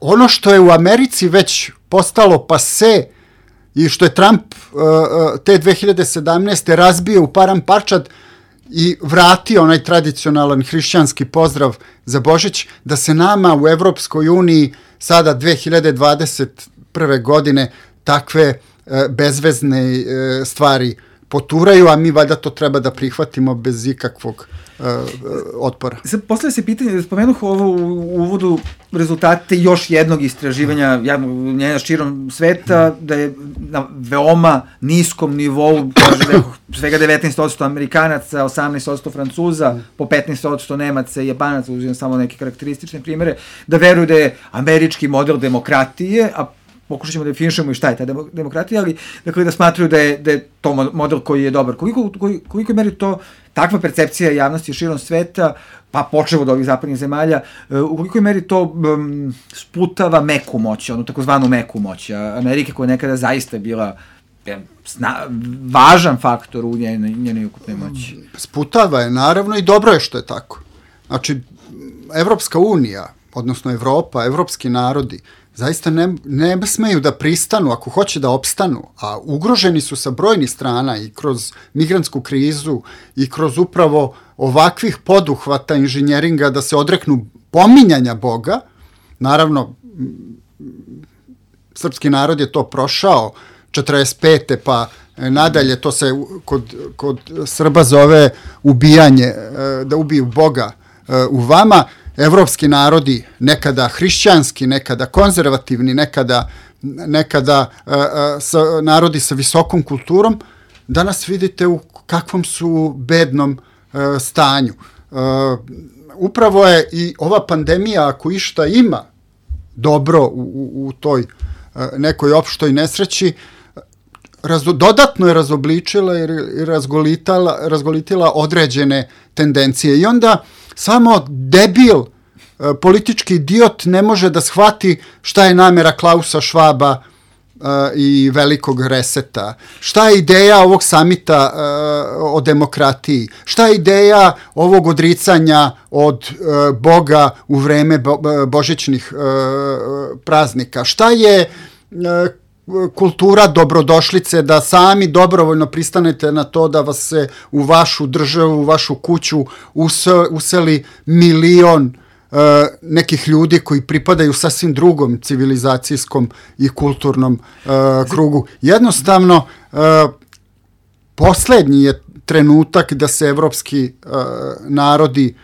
ono što je u Americi već postalo pase i što je Trump te 2017. razbio u param parčad i vratio onaj tradicionalan hrišćanski pozdrav za Božić, da se nama u Evropskoj uniji sada 2021. godine takve bezvezne stvari poturaju, a mi valjda to treba da prihvatimo bez ikakvog otpora. Postavlja se pitanje, spomenuh ovo u uvodu rezultate još jednog istraživanja javnog mnjenja širom sveta, da je na veoma niskom nivou, svega 19% Amerikanaca, 18% Francuza, po 15% Nemaca i Japanaca, uzimam samo neke karakteristične primere, da veruju da je američki model demokratije, a pokušat ćemo da definišemo i šta je ta demokratija, ali dakle da smatruju da je to model koji je dobar. Koliko meri to takva percepcija javnosti širom sveta, pa počevo od ovih zapadnih zemalja, u kolikoj meri to sputava meku moć, onu takozvanu meku moć Amerike, koja je nekada zaista bila važan faktor u njenoj ukupnoj moći? Sputava je, naravno, i dobro je što je tako. Znači, Evropska unija, odnosno Evropa, evropski narodi, zaista ne smeju da pristanu ako hoće da opstanu, a ugroženi su sa brojnih strana i kroz migrantsku krizu i kroz upravo ovakvih poduhvata inženjeringa da se odreknu pominjanja Boga. Naravno, srpski narod je to prošao 45. pa nadalje, to se kod Srba zove ubijanje, da ubiju Boga u vama. Evropski narodi, nekada hrišćanski, nekada konzervativni, nekada narodi sa visokom kulturom, danas vidite u kakvom su bednom stanju. Upravo je i ova pandemija, ako išta ima dobro u toj nekoj opštoj nesreći, dodatno je razobličila i razgolitila određene tendencije. I onda samo debil, politički idiot ne može da shvati šta je namera Klausa Švaba i velikog reseta, šta je ideja ovog samita o demokratiji, šta je ideja ovog odricanja od Boga u vreme božićnih praznika, šta je kultura dobrodošlice, da sami dobrovoljno pristanete na to da vas se u vašu državu, u vašu kuću useli milion nekih ljudi koji pripadaju sasvim drugom civilizacijskom i kulturnom krugu. Jednostavno, poslednji je trenutak da se evropski narodi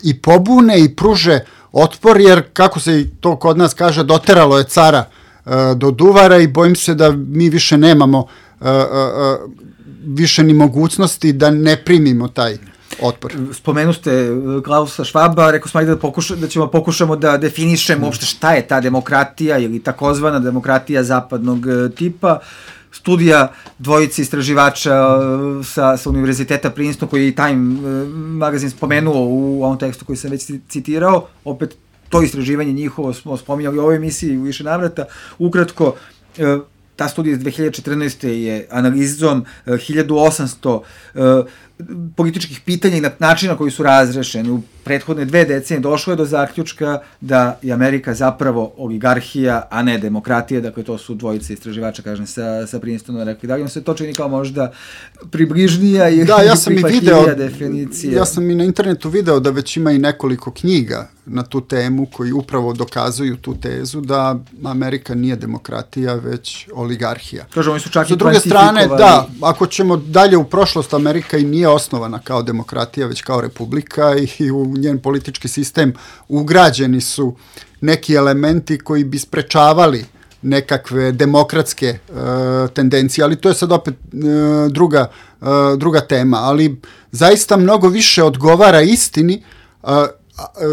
i pobune i pruže otpor, jer, kako se to kod nas kaže, doteralo je cara do duvara i bojim se da mi više nemamo više ni mogućnosti da ne primimo taj otpor. Spomenu ste Klausa Švaba, rekao smo da ćemo pokušamo da definišemo uopšte šta je ta demokratija ili takozvana demokratija zapadnog tipa. Studija dvojice istraživača sa Univerziteta Princeton, koji je i Time magazin spomenuo u ovom tekstu koji sam već citirao, opet to istraživanje njihovo smo spominjali u ovoj emisiji u više navrata. Ukratko, ta studija iz 2014. je analizom 1800 političkih pitanja i načina koji su razrešeni u prethodne 2 decenije došlo je do zaključka da je Amerika zapravo oligarhija, a ne demokratija. Dakle, to su dvojice istraživača, kažem, sa Princetona rekli. Da li vam se to čini kao možda približnija i prihvatljivija definicija? Ja sam i na internetu video da već ima i nekoliko knjiga na tu temu koji upravo dokazuju tu tezu da Amerika nije demokratija, već oligarhija. Kažem, oni su čak i druge strane, da, ako ćemo dalje u prošlost, Amerika i nije osnovana kao demokratija, već kao republika i u njen politički sistem ugrađeni su neki elementi koji bi sprečavali nekakve demokratske tendencije, ali to je sad opet druga tema, ali zaista mnogo više odgovara istini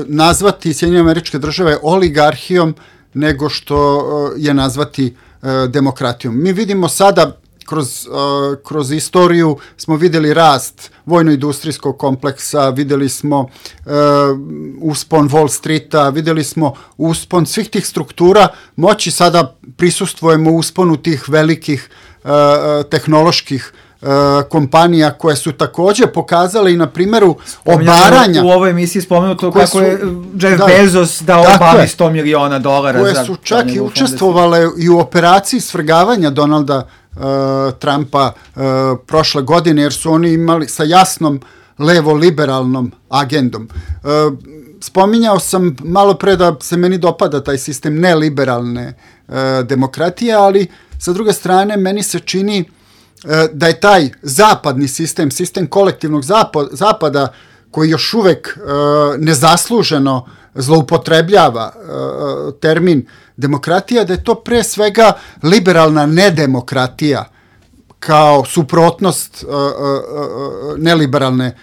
nazvati Sjedinjene Američke Države oligarhijom nego što je nazvati demokratijom. Mi vidimo sada kroz istoriju smo vidjeli rast vojno-industrijskog kompleksa, vidjeli smo uspon Wall Streeta, vidjeli smo uspon svih tih struktura moći, sada prisustvujemo usponu tih velikih tehnoloških kompanija koje su također pokazale i na primjeru obaranja. U ovoj emisiji spomenuto kako je Jeff Bezos dao obavi $100 miliona koje su čak i učestvovale i u operaciji svrgavanja Donalda Trumpa prošle godine, jer su oni imali sa jasnom levo-liberalnom agendom. Spominjao sam malo pre da se meni dopada taj sistem neliberalne demokratije, ali sa druge strane meni se čini da je taj zapadni sistem kolektivnog zapada koji još uvek nezasluženo zloupotrebljava termin demokratija, da je to pre svega liberalna nedemokratija kao suprotnost neliberalne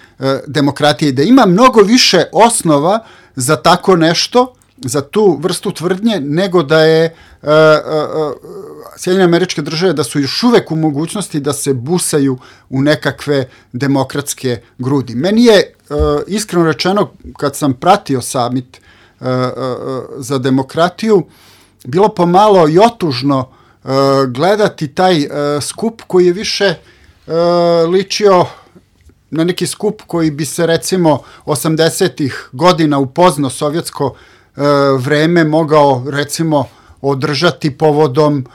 demokratije, da ima mnogo više osnova za tako nešto, za tu vrstu tvrdnje, nego da je Sjedinjene Američke Države da su još uvek u mogućnosti da se busaju u nekakve demokratske grudi. Meni je iskreno rečeno, kad sam pratio samit za demokratiju, bilo pomalo i otužno gledati taj skup koji je više ličio na neki skup koji bi se recimo 80-ih godina u pozno sovjetsko vreme mogao recimo održati povodom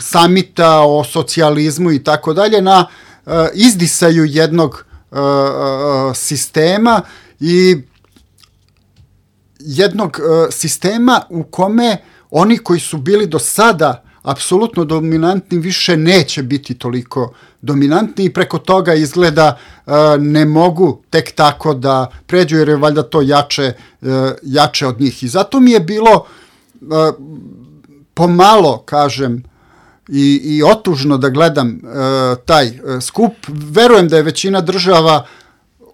samita o socijalizmu i tako dalje na izdisaju jednog sistema i jednog sistema u kome oni koji su bili do sada apsolutno dominantni više neće biti toliko dominantni i preko toga izgleda ne mogu tek tako da pređu jer je valjda to jače od njih. I zato mi je bilo pomalo, kažem, i otužno da gledam taj skup. Verujem da je većina država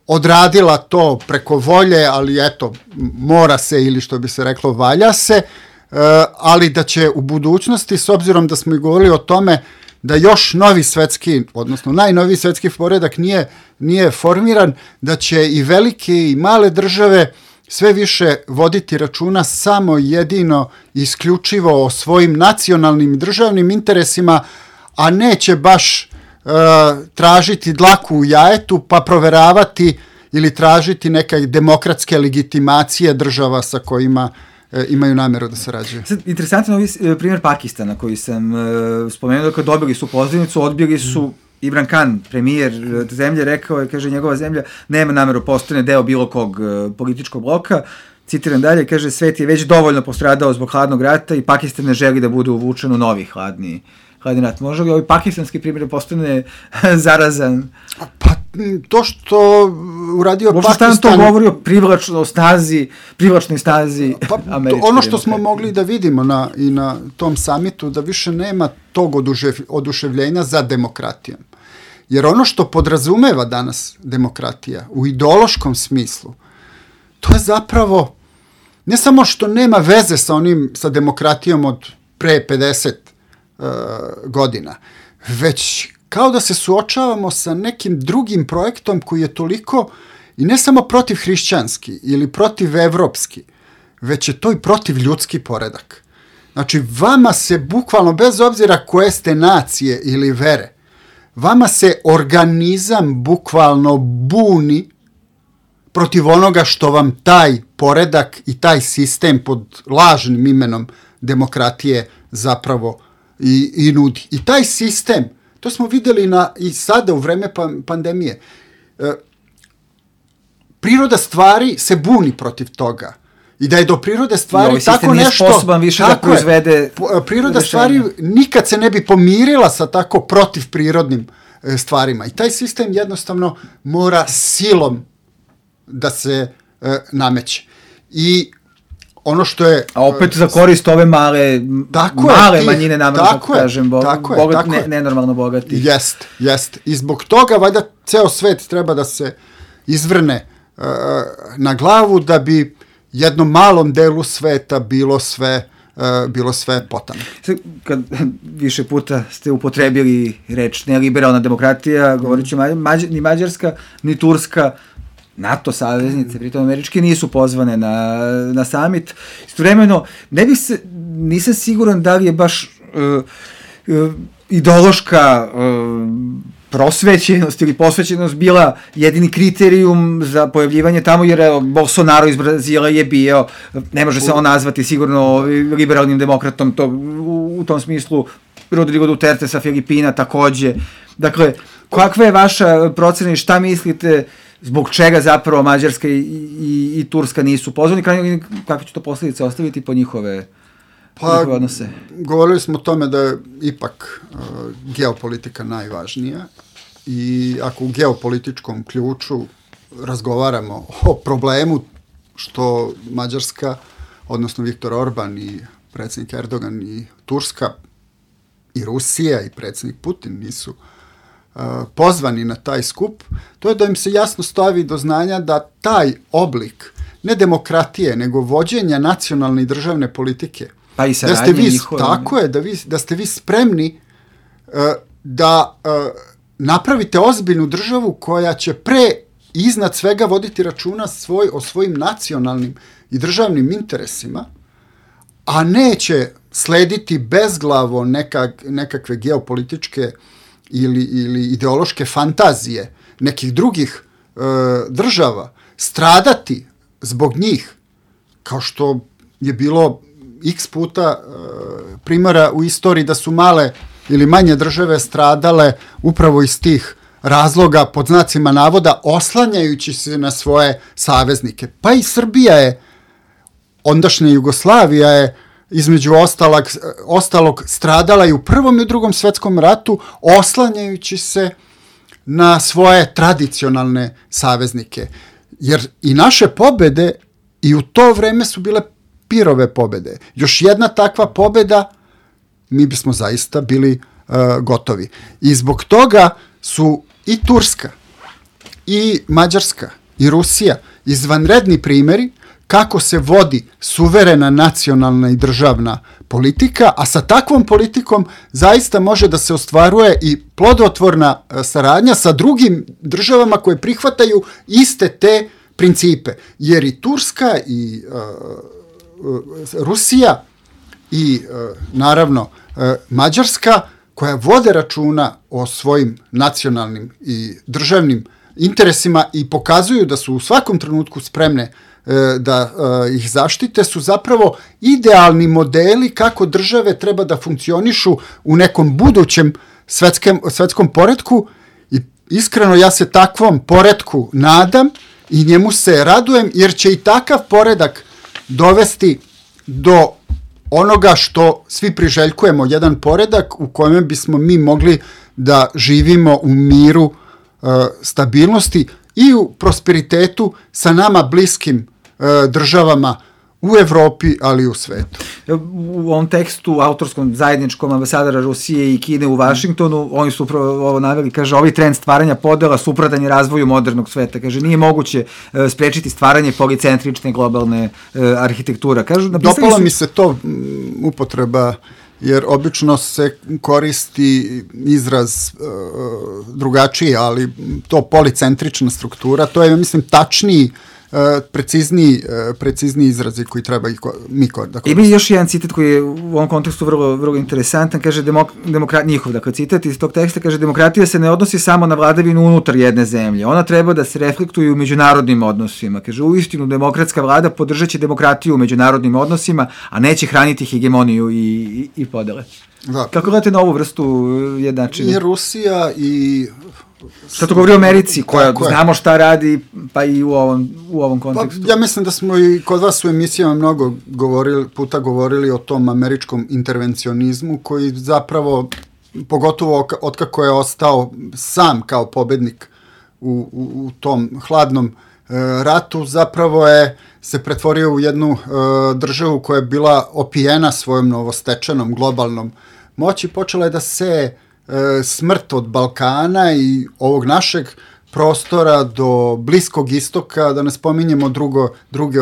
odradila to preko volje, ali eto, mora se ili što bi se reklo valja se, ali da će u budućnosti, s obzirom da smo i govorili o tome da još novi svetski, odnosno najnoviji svetski poredak nije formiran, da će i velike i male države sve više voditi računa samo jedino isključivo o svojim nacionalnim i državnim interesima, a neće baš tražiti dlaku u jajetu pa proveravati ili tražiti neke demokratske legitimacije država sa kojima imaju nameru da sarađuju. Interesantan je primjer Pakistana koji sam spomenuo, kad dobili su pozivnicu, odbili su Imran Khan, premijer zemlje, rekao je, kaže, njegova zemlja nema nameru postane deo bilo kog političkog bloka. Citiram dalje, kaže, svet je već dovoljno postradao zbog hladnog rata i Pakistan ne želi da bude uvučen u novi hladni rat. Može li ovaj pakistanski primjer postane zarazan? Pa to što uradio Pakistan... Šta to govori o privlačnoj snazi američke ono što smo mogli da vidimo i na tom samitu, da više nema tog oduševljenja za demokratijom. Jer ono što podrazumeva danas demokratija u ideološkom smislu, to je zapravo ne samo što nema veze sa demokratijom od pre 50 godina, već kao da se suočavamo sa nekim drugim projektom koji je toliko i ne samo protiv hrišćanski ili protiv evropski, već je to i protiv ljudski poredak. Znači, vama se bukvalno, bez obzira koje ste nacije ili vere, vama se organizam bukvalno buni protiv onoga što vam taj poredak i taj sistem pod lažnim imenom demokratije zapravo i nudi. I taj sistem, to smo vidjeli i sada u vreme pandemije, priroda stvari se buni protiv toga. I da je do prirode stvari tako nešto... sposoban više da proizvede... Priroda stvari nikad se ne bi pomirila sa tako protivprirodnim stvarima. I taj sistem jednostavno mora silom da se nameće. I ono što je... A opet za korist ove male manjine, namjerno tako kažem, nenormalno bogati. Jest. I zbog toga, valjda, ceo svet treba da se izvrne na glavu da bi jednom malom delu sveta bilo sve potano. Kad više puta ste upotrebili reč neliberalna demokratija, govorit ću, ni Mađarska, ni Turska, NATO saveznice, pritom američke, nisu pozvane na summit. Istovremeno, nisam siguran da li je baš ideološka prosvećenost ili posvećenost bila jedini kriterijum za pojavljivanje tamo, jer Bolsonaro iz Brazila je bio, ne može se on nazvati sigurno liberalnim demokratom, to, u tom smislu Rodrigo Duterte sa Filipina takođe. Dakle, kakva je vaša procena i šta mislite zbog čega zapravo Mađarska i Turska nisu pozvani, kakve će to posljedice ostaviti po njihove Pa, odnose? Govorili smo o tome da je ipak geopolitika najvažnija i ako u geopolitičkom ključu razgovaramo o problemu što Mađarska, odnosno Viktor Orban i predsjednik Erdogan i Turska i Rusija i predsjednik Putin nisu pozvani na taj skup, to je da im se jasno stavi do znanja da taj oblik ne demokratije, nego vođenja nacionalne i državne politike, pa i saradnje njihove. Tako je, da ste vi spremni da napravite ozbiljnu državu koja će iznad svega voditi računa o svojim nacionalnim i državnim interesima, a neće slediti bezglavo nekakve geopolitičke ili ideološke fantazije nekih drugih država, stradati zbog njih, kao što je bilo x puta primjera u istoriji da su male ili manje države stradale upravo iz tih razloga, pod znacima navoda, oslanjajući se na svoje saveznike. Pa i Srbija je, ondašnja Jugoslavija je, između ostalog stradala i u Prvom i u Drugom svjetskom ratu, oslanjajući se na svoje tradicionalne saveznike. Jer i naše pobede i u to vreme su bile pirove pobede. Još jedna takva pobeda, mi bismo zaista bili gotovi. I zbog toga su i Turska, i Mađarska, i Rusija izvanredni primjeri kako se vodi suverena nacionalna i državna politika, a sa takvom politikom zaista može da se ostvaruje i plodotvorna saradnja sa drugim državama koje prihvataju iste te principe. Jer i Turska i Rusija i naravno Mađarska, koja vode računa o svojim nacionalnim i državnim interesima i pokazuju da su u svakom trenutku spremne da ih zaštite, su zapravo idealni modeli kako države treba da funkcionišu u nekom budućem svetskom poretku i iskreno ja se takvom poretku nadam i njemu se radujem, jer će i takav poredak dovesti do onoga što svi priželjkujemo, jedan poredak u kojem bismo mi mogli da živimo u miru, stabilnosti i u prosperitetu sa nama bliskim državama u Evropi, ali i u svetu. U ovom tekstu, autorskom zajedničkom ambasadora Rusije i Kine u Vašingtonu, oni su upravo ovo naveli, kaže, ovaj trend stvaranja podela suprotan je razvoju modernog sveta. Kaže, nije moguće sprečiti stvaranje policentrične globalne arhitektura. Kažu, dopalo mi se to upotreba, jer obično se koristi izraz drugačiji, ali to policentrična struktura, to je, mislim, tačniji, precizniji izrazi koji treba mi da koristimo. Ima još jedan citat koji je u ovom kontekstu vrlo interesantan, kaže njihov, dakle citat iz tog teksta, kaže, demokratija se ne odnosi samo na vladavinu unutar jedne zemlje, ona treba da se reflektuje u međunarodnim odnosima. Kaže, uistinu demokratska vlada podržaće demokratiju u međunarodnim odnosima, a neće hraniti hegemoniju i podele. Da. Kako gledate na ovu vrstu jednačine? I Rusija i... Šta to govori o Americi, koja znamo šta radi, pa i u ovom kontekstu? Pa, ja mislim da smo i kod vas u emisijama mnogo puta govorili o tom američkom intervencionizmu, koji zapravo, pogotovo otkako je ostao sam kao pobednik u tom hladnom ratu, zapravo se pretvorio u jednu državu koja je bila opijena svojom novostečenom globalnom moći, počela je da se smrt od Balkana i ovog našeg prostora do Bliskog istoka, da ne spominjemo druge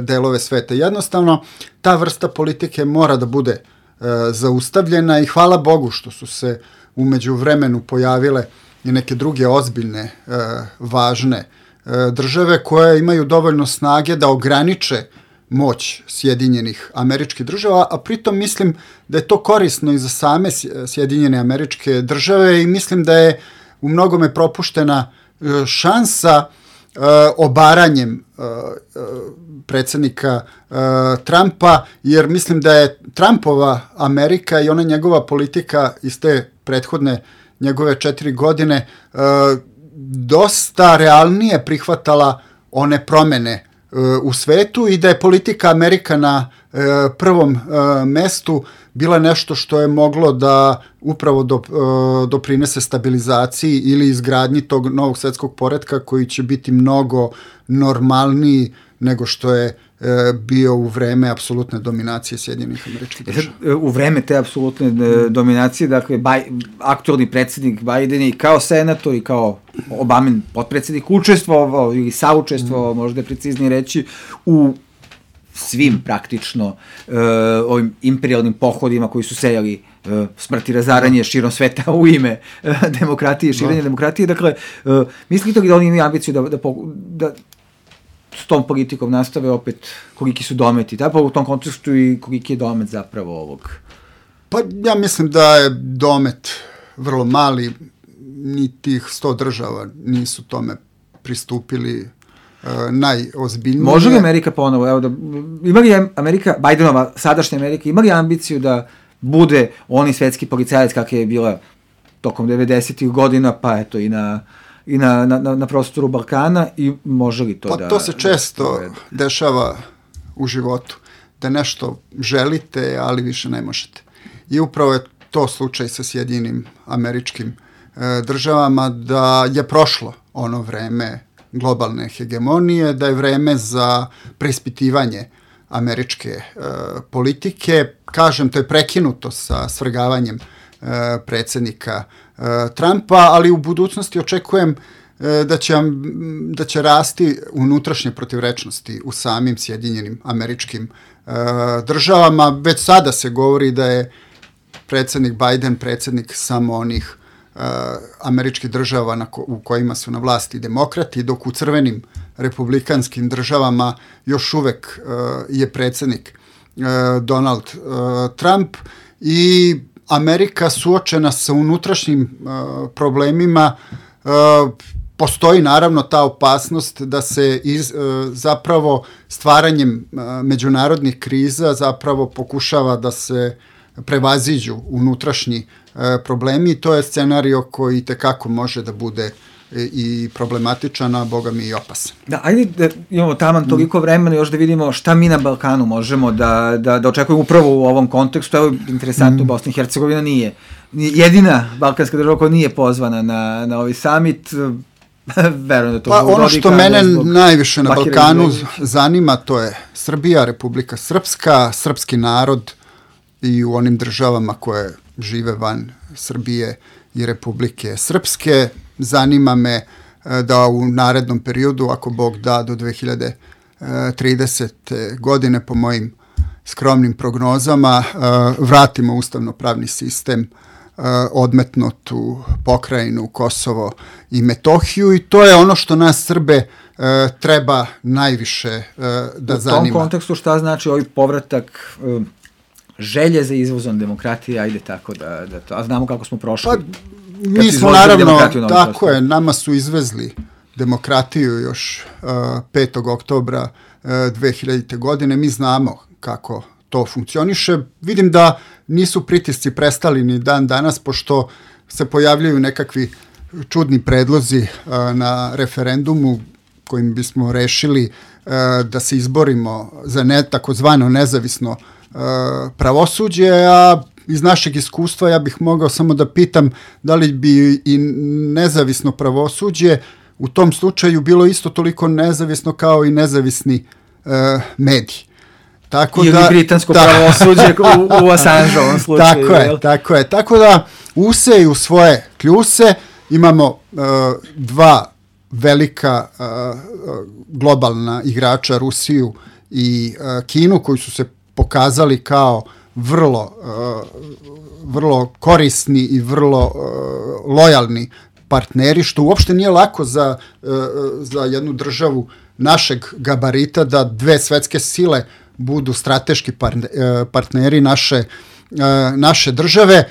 delove sveta. Jednostavno, ta vrsta politike mora da bude zaustavljena i hvala Bogu što su se u međuvremenu pojavile i neke druge ozbiljne, važne države koje imaju dovoljno snage da ograniče moć Sjedinjenih Američkih Država, a pritom mislim da je to korisno i za same Sjedinjene Američke Države i mislim da je u mnogome propuštena šansa obaranjem predsjednika Trumpa, jer mislim da je Trumpova Amerika i ona njegova politika iz te prethodne njegove 4 godine dosta realnije prihvatala one promjene u svetu i da je politika Amerikana prvom mestu bila nešto što je moglo da upravo doprinese stabilizaciji ili izgradnji tog novog svetskog poretka koji će biti mnogo normalniji nego što je bio u vreme apsolutne dominacije Sjedinjenih Američkih Država. U vreme te apsolutne dominacije, dakle, aktualni predsjednik Biden i kao senator i kao Obamin potpredsjednik učestvovao ili saučestvovao, možda je preciznije reći, u svim praktično ovim imperialnim pohodima koji su sejali smrt i razaranje širom sveta u ime demokratije, širenja demokratije. Dakle, mislite li da oni imaju ambiciju da s tom politikom nastave opet koliki su dometi, u tom kontekstu i koliki je domet zapravo ovog? Pa ja mislim da je domet vrlo mali, ni tih 100 država nisu tome pristupili najozbiljnije. Može li Amerika ponovo, ima li Amerika, Bidenova sadašnja Amerika, ima li ambiciju da bude oni svetski policajac kakva je bila tokom 90-ih godina, pa eto i na prostoru Balkana, i može li to pa to se često dešava u životu, da nešto želite, ali više ne možete. I upravo je to slučaj sa Sjedinjenim Američkim Državama, da je prošlo ono vreme globalne hegemonije, da je vreme za preispitivanje američke politike. Kažem, to je prekinuto sa svrgavanjem predsjednika Trumpa, ali u budućnosti očekujem da će rasti unutrašnje protivrečnosti u samim Sjedinjenim Američkim Državama. Već sada se govori da je predsjednik Biden predsjednik samo onih američkih država u kojima su na vlasti demokrati, dok u crvenim republikanskim državama još uvek je predsjednik Donald Trump, i Amerika suočena sa unutrašnjim problemima. Postoji naravno ta opasnost da se zapravo stvaranjem međunarodnih kriza zapravo pokušava da se prevaziđu unutrašnji problemi, i to je scenario koji tekako može da bude i problematičan, a boga mi i opasan. Da, ajde da imamo taman toliko vremena još da vidimo šta mi na Balkanu možemo da očekujemo upravo u ovom kontekstu. Evo, interesantno, Bosna i Hercegovina nije jedina balkanska država koja nije pozvana na ovaj summit. Verujem da to pa ono što mene najviše na Balkanu zanima, to je Srbija, Republika Srpska, srpski narod i u onim državama koje žive van Srbije i Republike Srpske. Zanima me da u narednom periodu, ako Bog da, do 2030. godine, po mojim skromnim prognozama, vratimo ustavno-pravni sistem odmetnutu pokrajinu Kosovo i Metohiju, i to je ono što nas Srbe treba najviše da zanima. U tom kontekstu šta znači ovaj povratak želje za izvozom demokratije, ajde tako da to, a znamo kako smo prošli. Pa, mi smo naravno, tako je, nama su izvezli demokratiju još 5. oktobra 2000. godine, mi znamo kako to funkcioniše. Vidim da nisu pritisci prestali ni dan danas, pošto se pojavljaju nekakvi čudni predlozi na referendumu kojim bismo rešili da se izborimo za takozvano nezavisno pravosuđe, a iz našeg iskustva ja bih mogao samo da pitam da li bi i nezavisno pravosuđe u tom slučaju bilo isto toliko nezavisno kao i nezavisni mediji. Ili britansko pravosuđe u Assangeovom slučaju. Tako je. Tako da useju svoje kljuse, imamo dva velika globalna igrača, Rusiju i Kinu, koji su se pokazali kao vrlo korisni i vrlo lojalni partneri, što uopšte nije lako za jednu državu našeg gabarita da dve svetske sile budu strateški partneri naše države.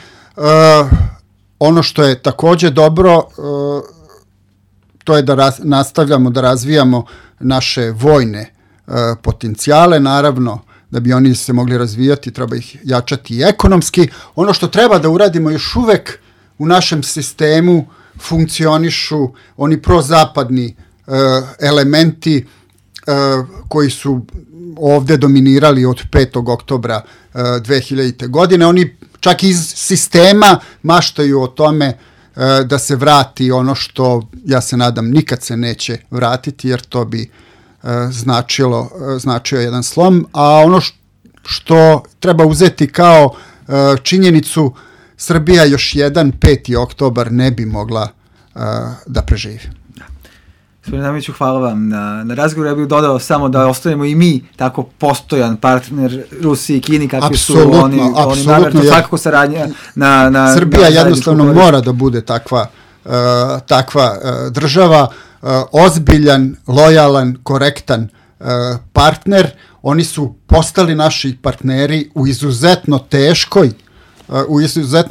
Ono što je također dobro, to je da nastavljamo da razvijamo naše vojne potencijale. Naravno, da bi oni se mogli razvijati, treba ih jačati i ekonomski. Ono što treba da uradimo, još uvek u našem sistemu funkcionišu oni prozapadni elementi koji su ovde dominirali od 5. oktobra 2000. godine. Oni čak iz sistema maštaju o tome da se vrati ono što, ja se nadam, nikad se neće vratiti, jer to bi značio jedan slom. A ono što treba uzeti kao činjenicu, Srbija još jedan 5. oktobar ne bi mogla da preživi. Gospodine Damiću, hvala vam na razgovoru. Ja bih dodao samo da ostanemo i mi tako postojan partner Rusiji i Kini, kakvi su oni naravno, svakako saradnja na Srbija jednostavno mora da bude takva država, ozbiljan, lojalan, korektan partner. Oni su postali naši partneri u izuzetno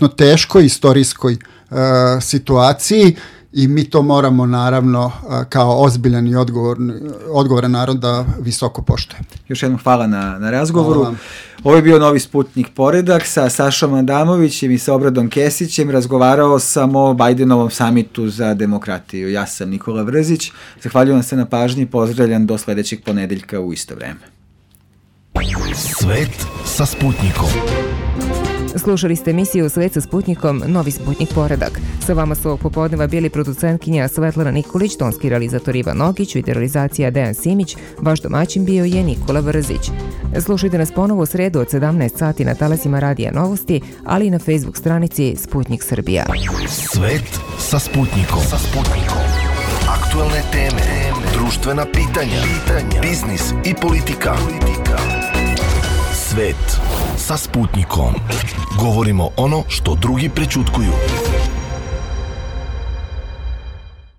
teškoj istorijskoj situaciji, i mi to moramo naravno kao ozbiljan i odgovoran narod da visoko poštujemo. Još jednom hvala na razgovoru. Ovo je bio Novi Sputnik Poredak sa Sašom Adamovićem i sa Obradom Kesićem. Razgovarao sam o Bajdenovom samitu za demokratiju. Ja sam Nikola Vrzić. Zahvaljujem se na pažnji i pozdravljam do sledećeg ponedeljka u isto vreme. Svet sa Sputnikom. Slušali ste emisiju Svet sa Sputnikom, Novi Sputnik Poredak. Sa vama su ovog popodneva bili producentkinja Svetlana Nikolić, tonski realizator Ivan Nogić, videorealizacija Dejan Simić, vaš domaćin bio je Nikola Vrzić. Slušajte nas ponovo u sredu od 17 sati na talasima Radija Novosti, ali i na Facebook stranici Sputnik Srbija. Svet sa Sputnikom. Aktualne teme, društvena pitanja, biznis i politika. Svet sa Sputnikom. Govorimo ono što drugi prećutkuju.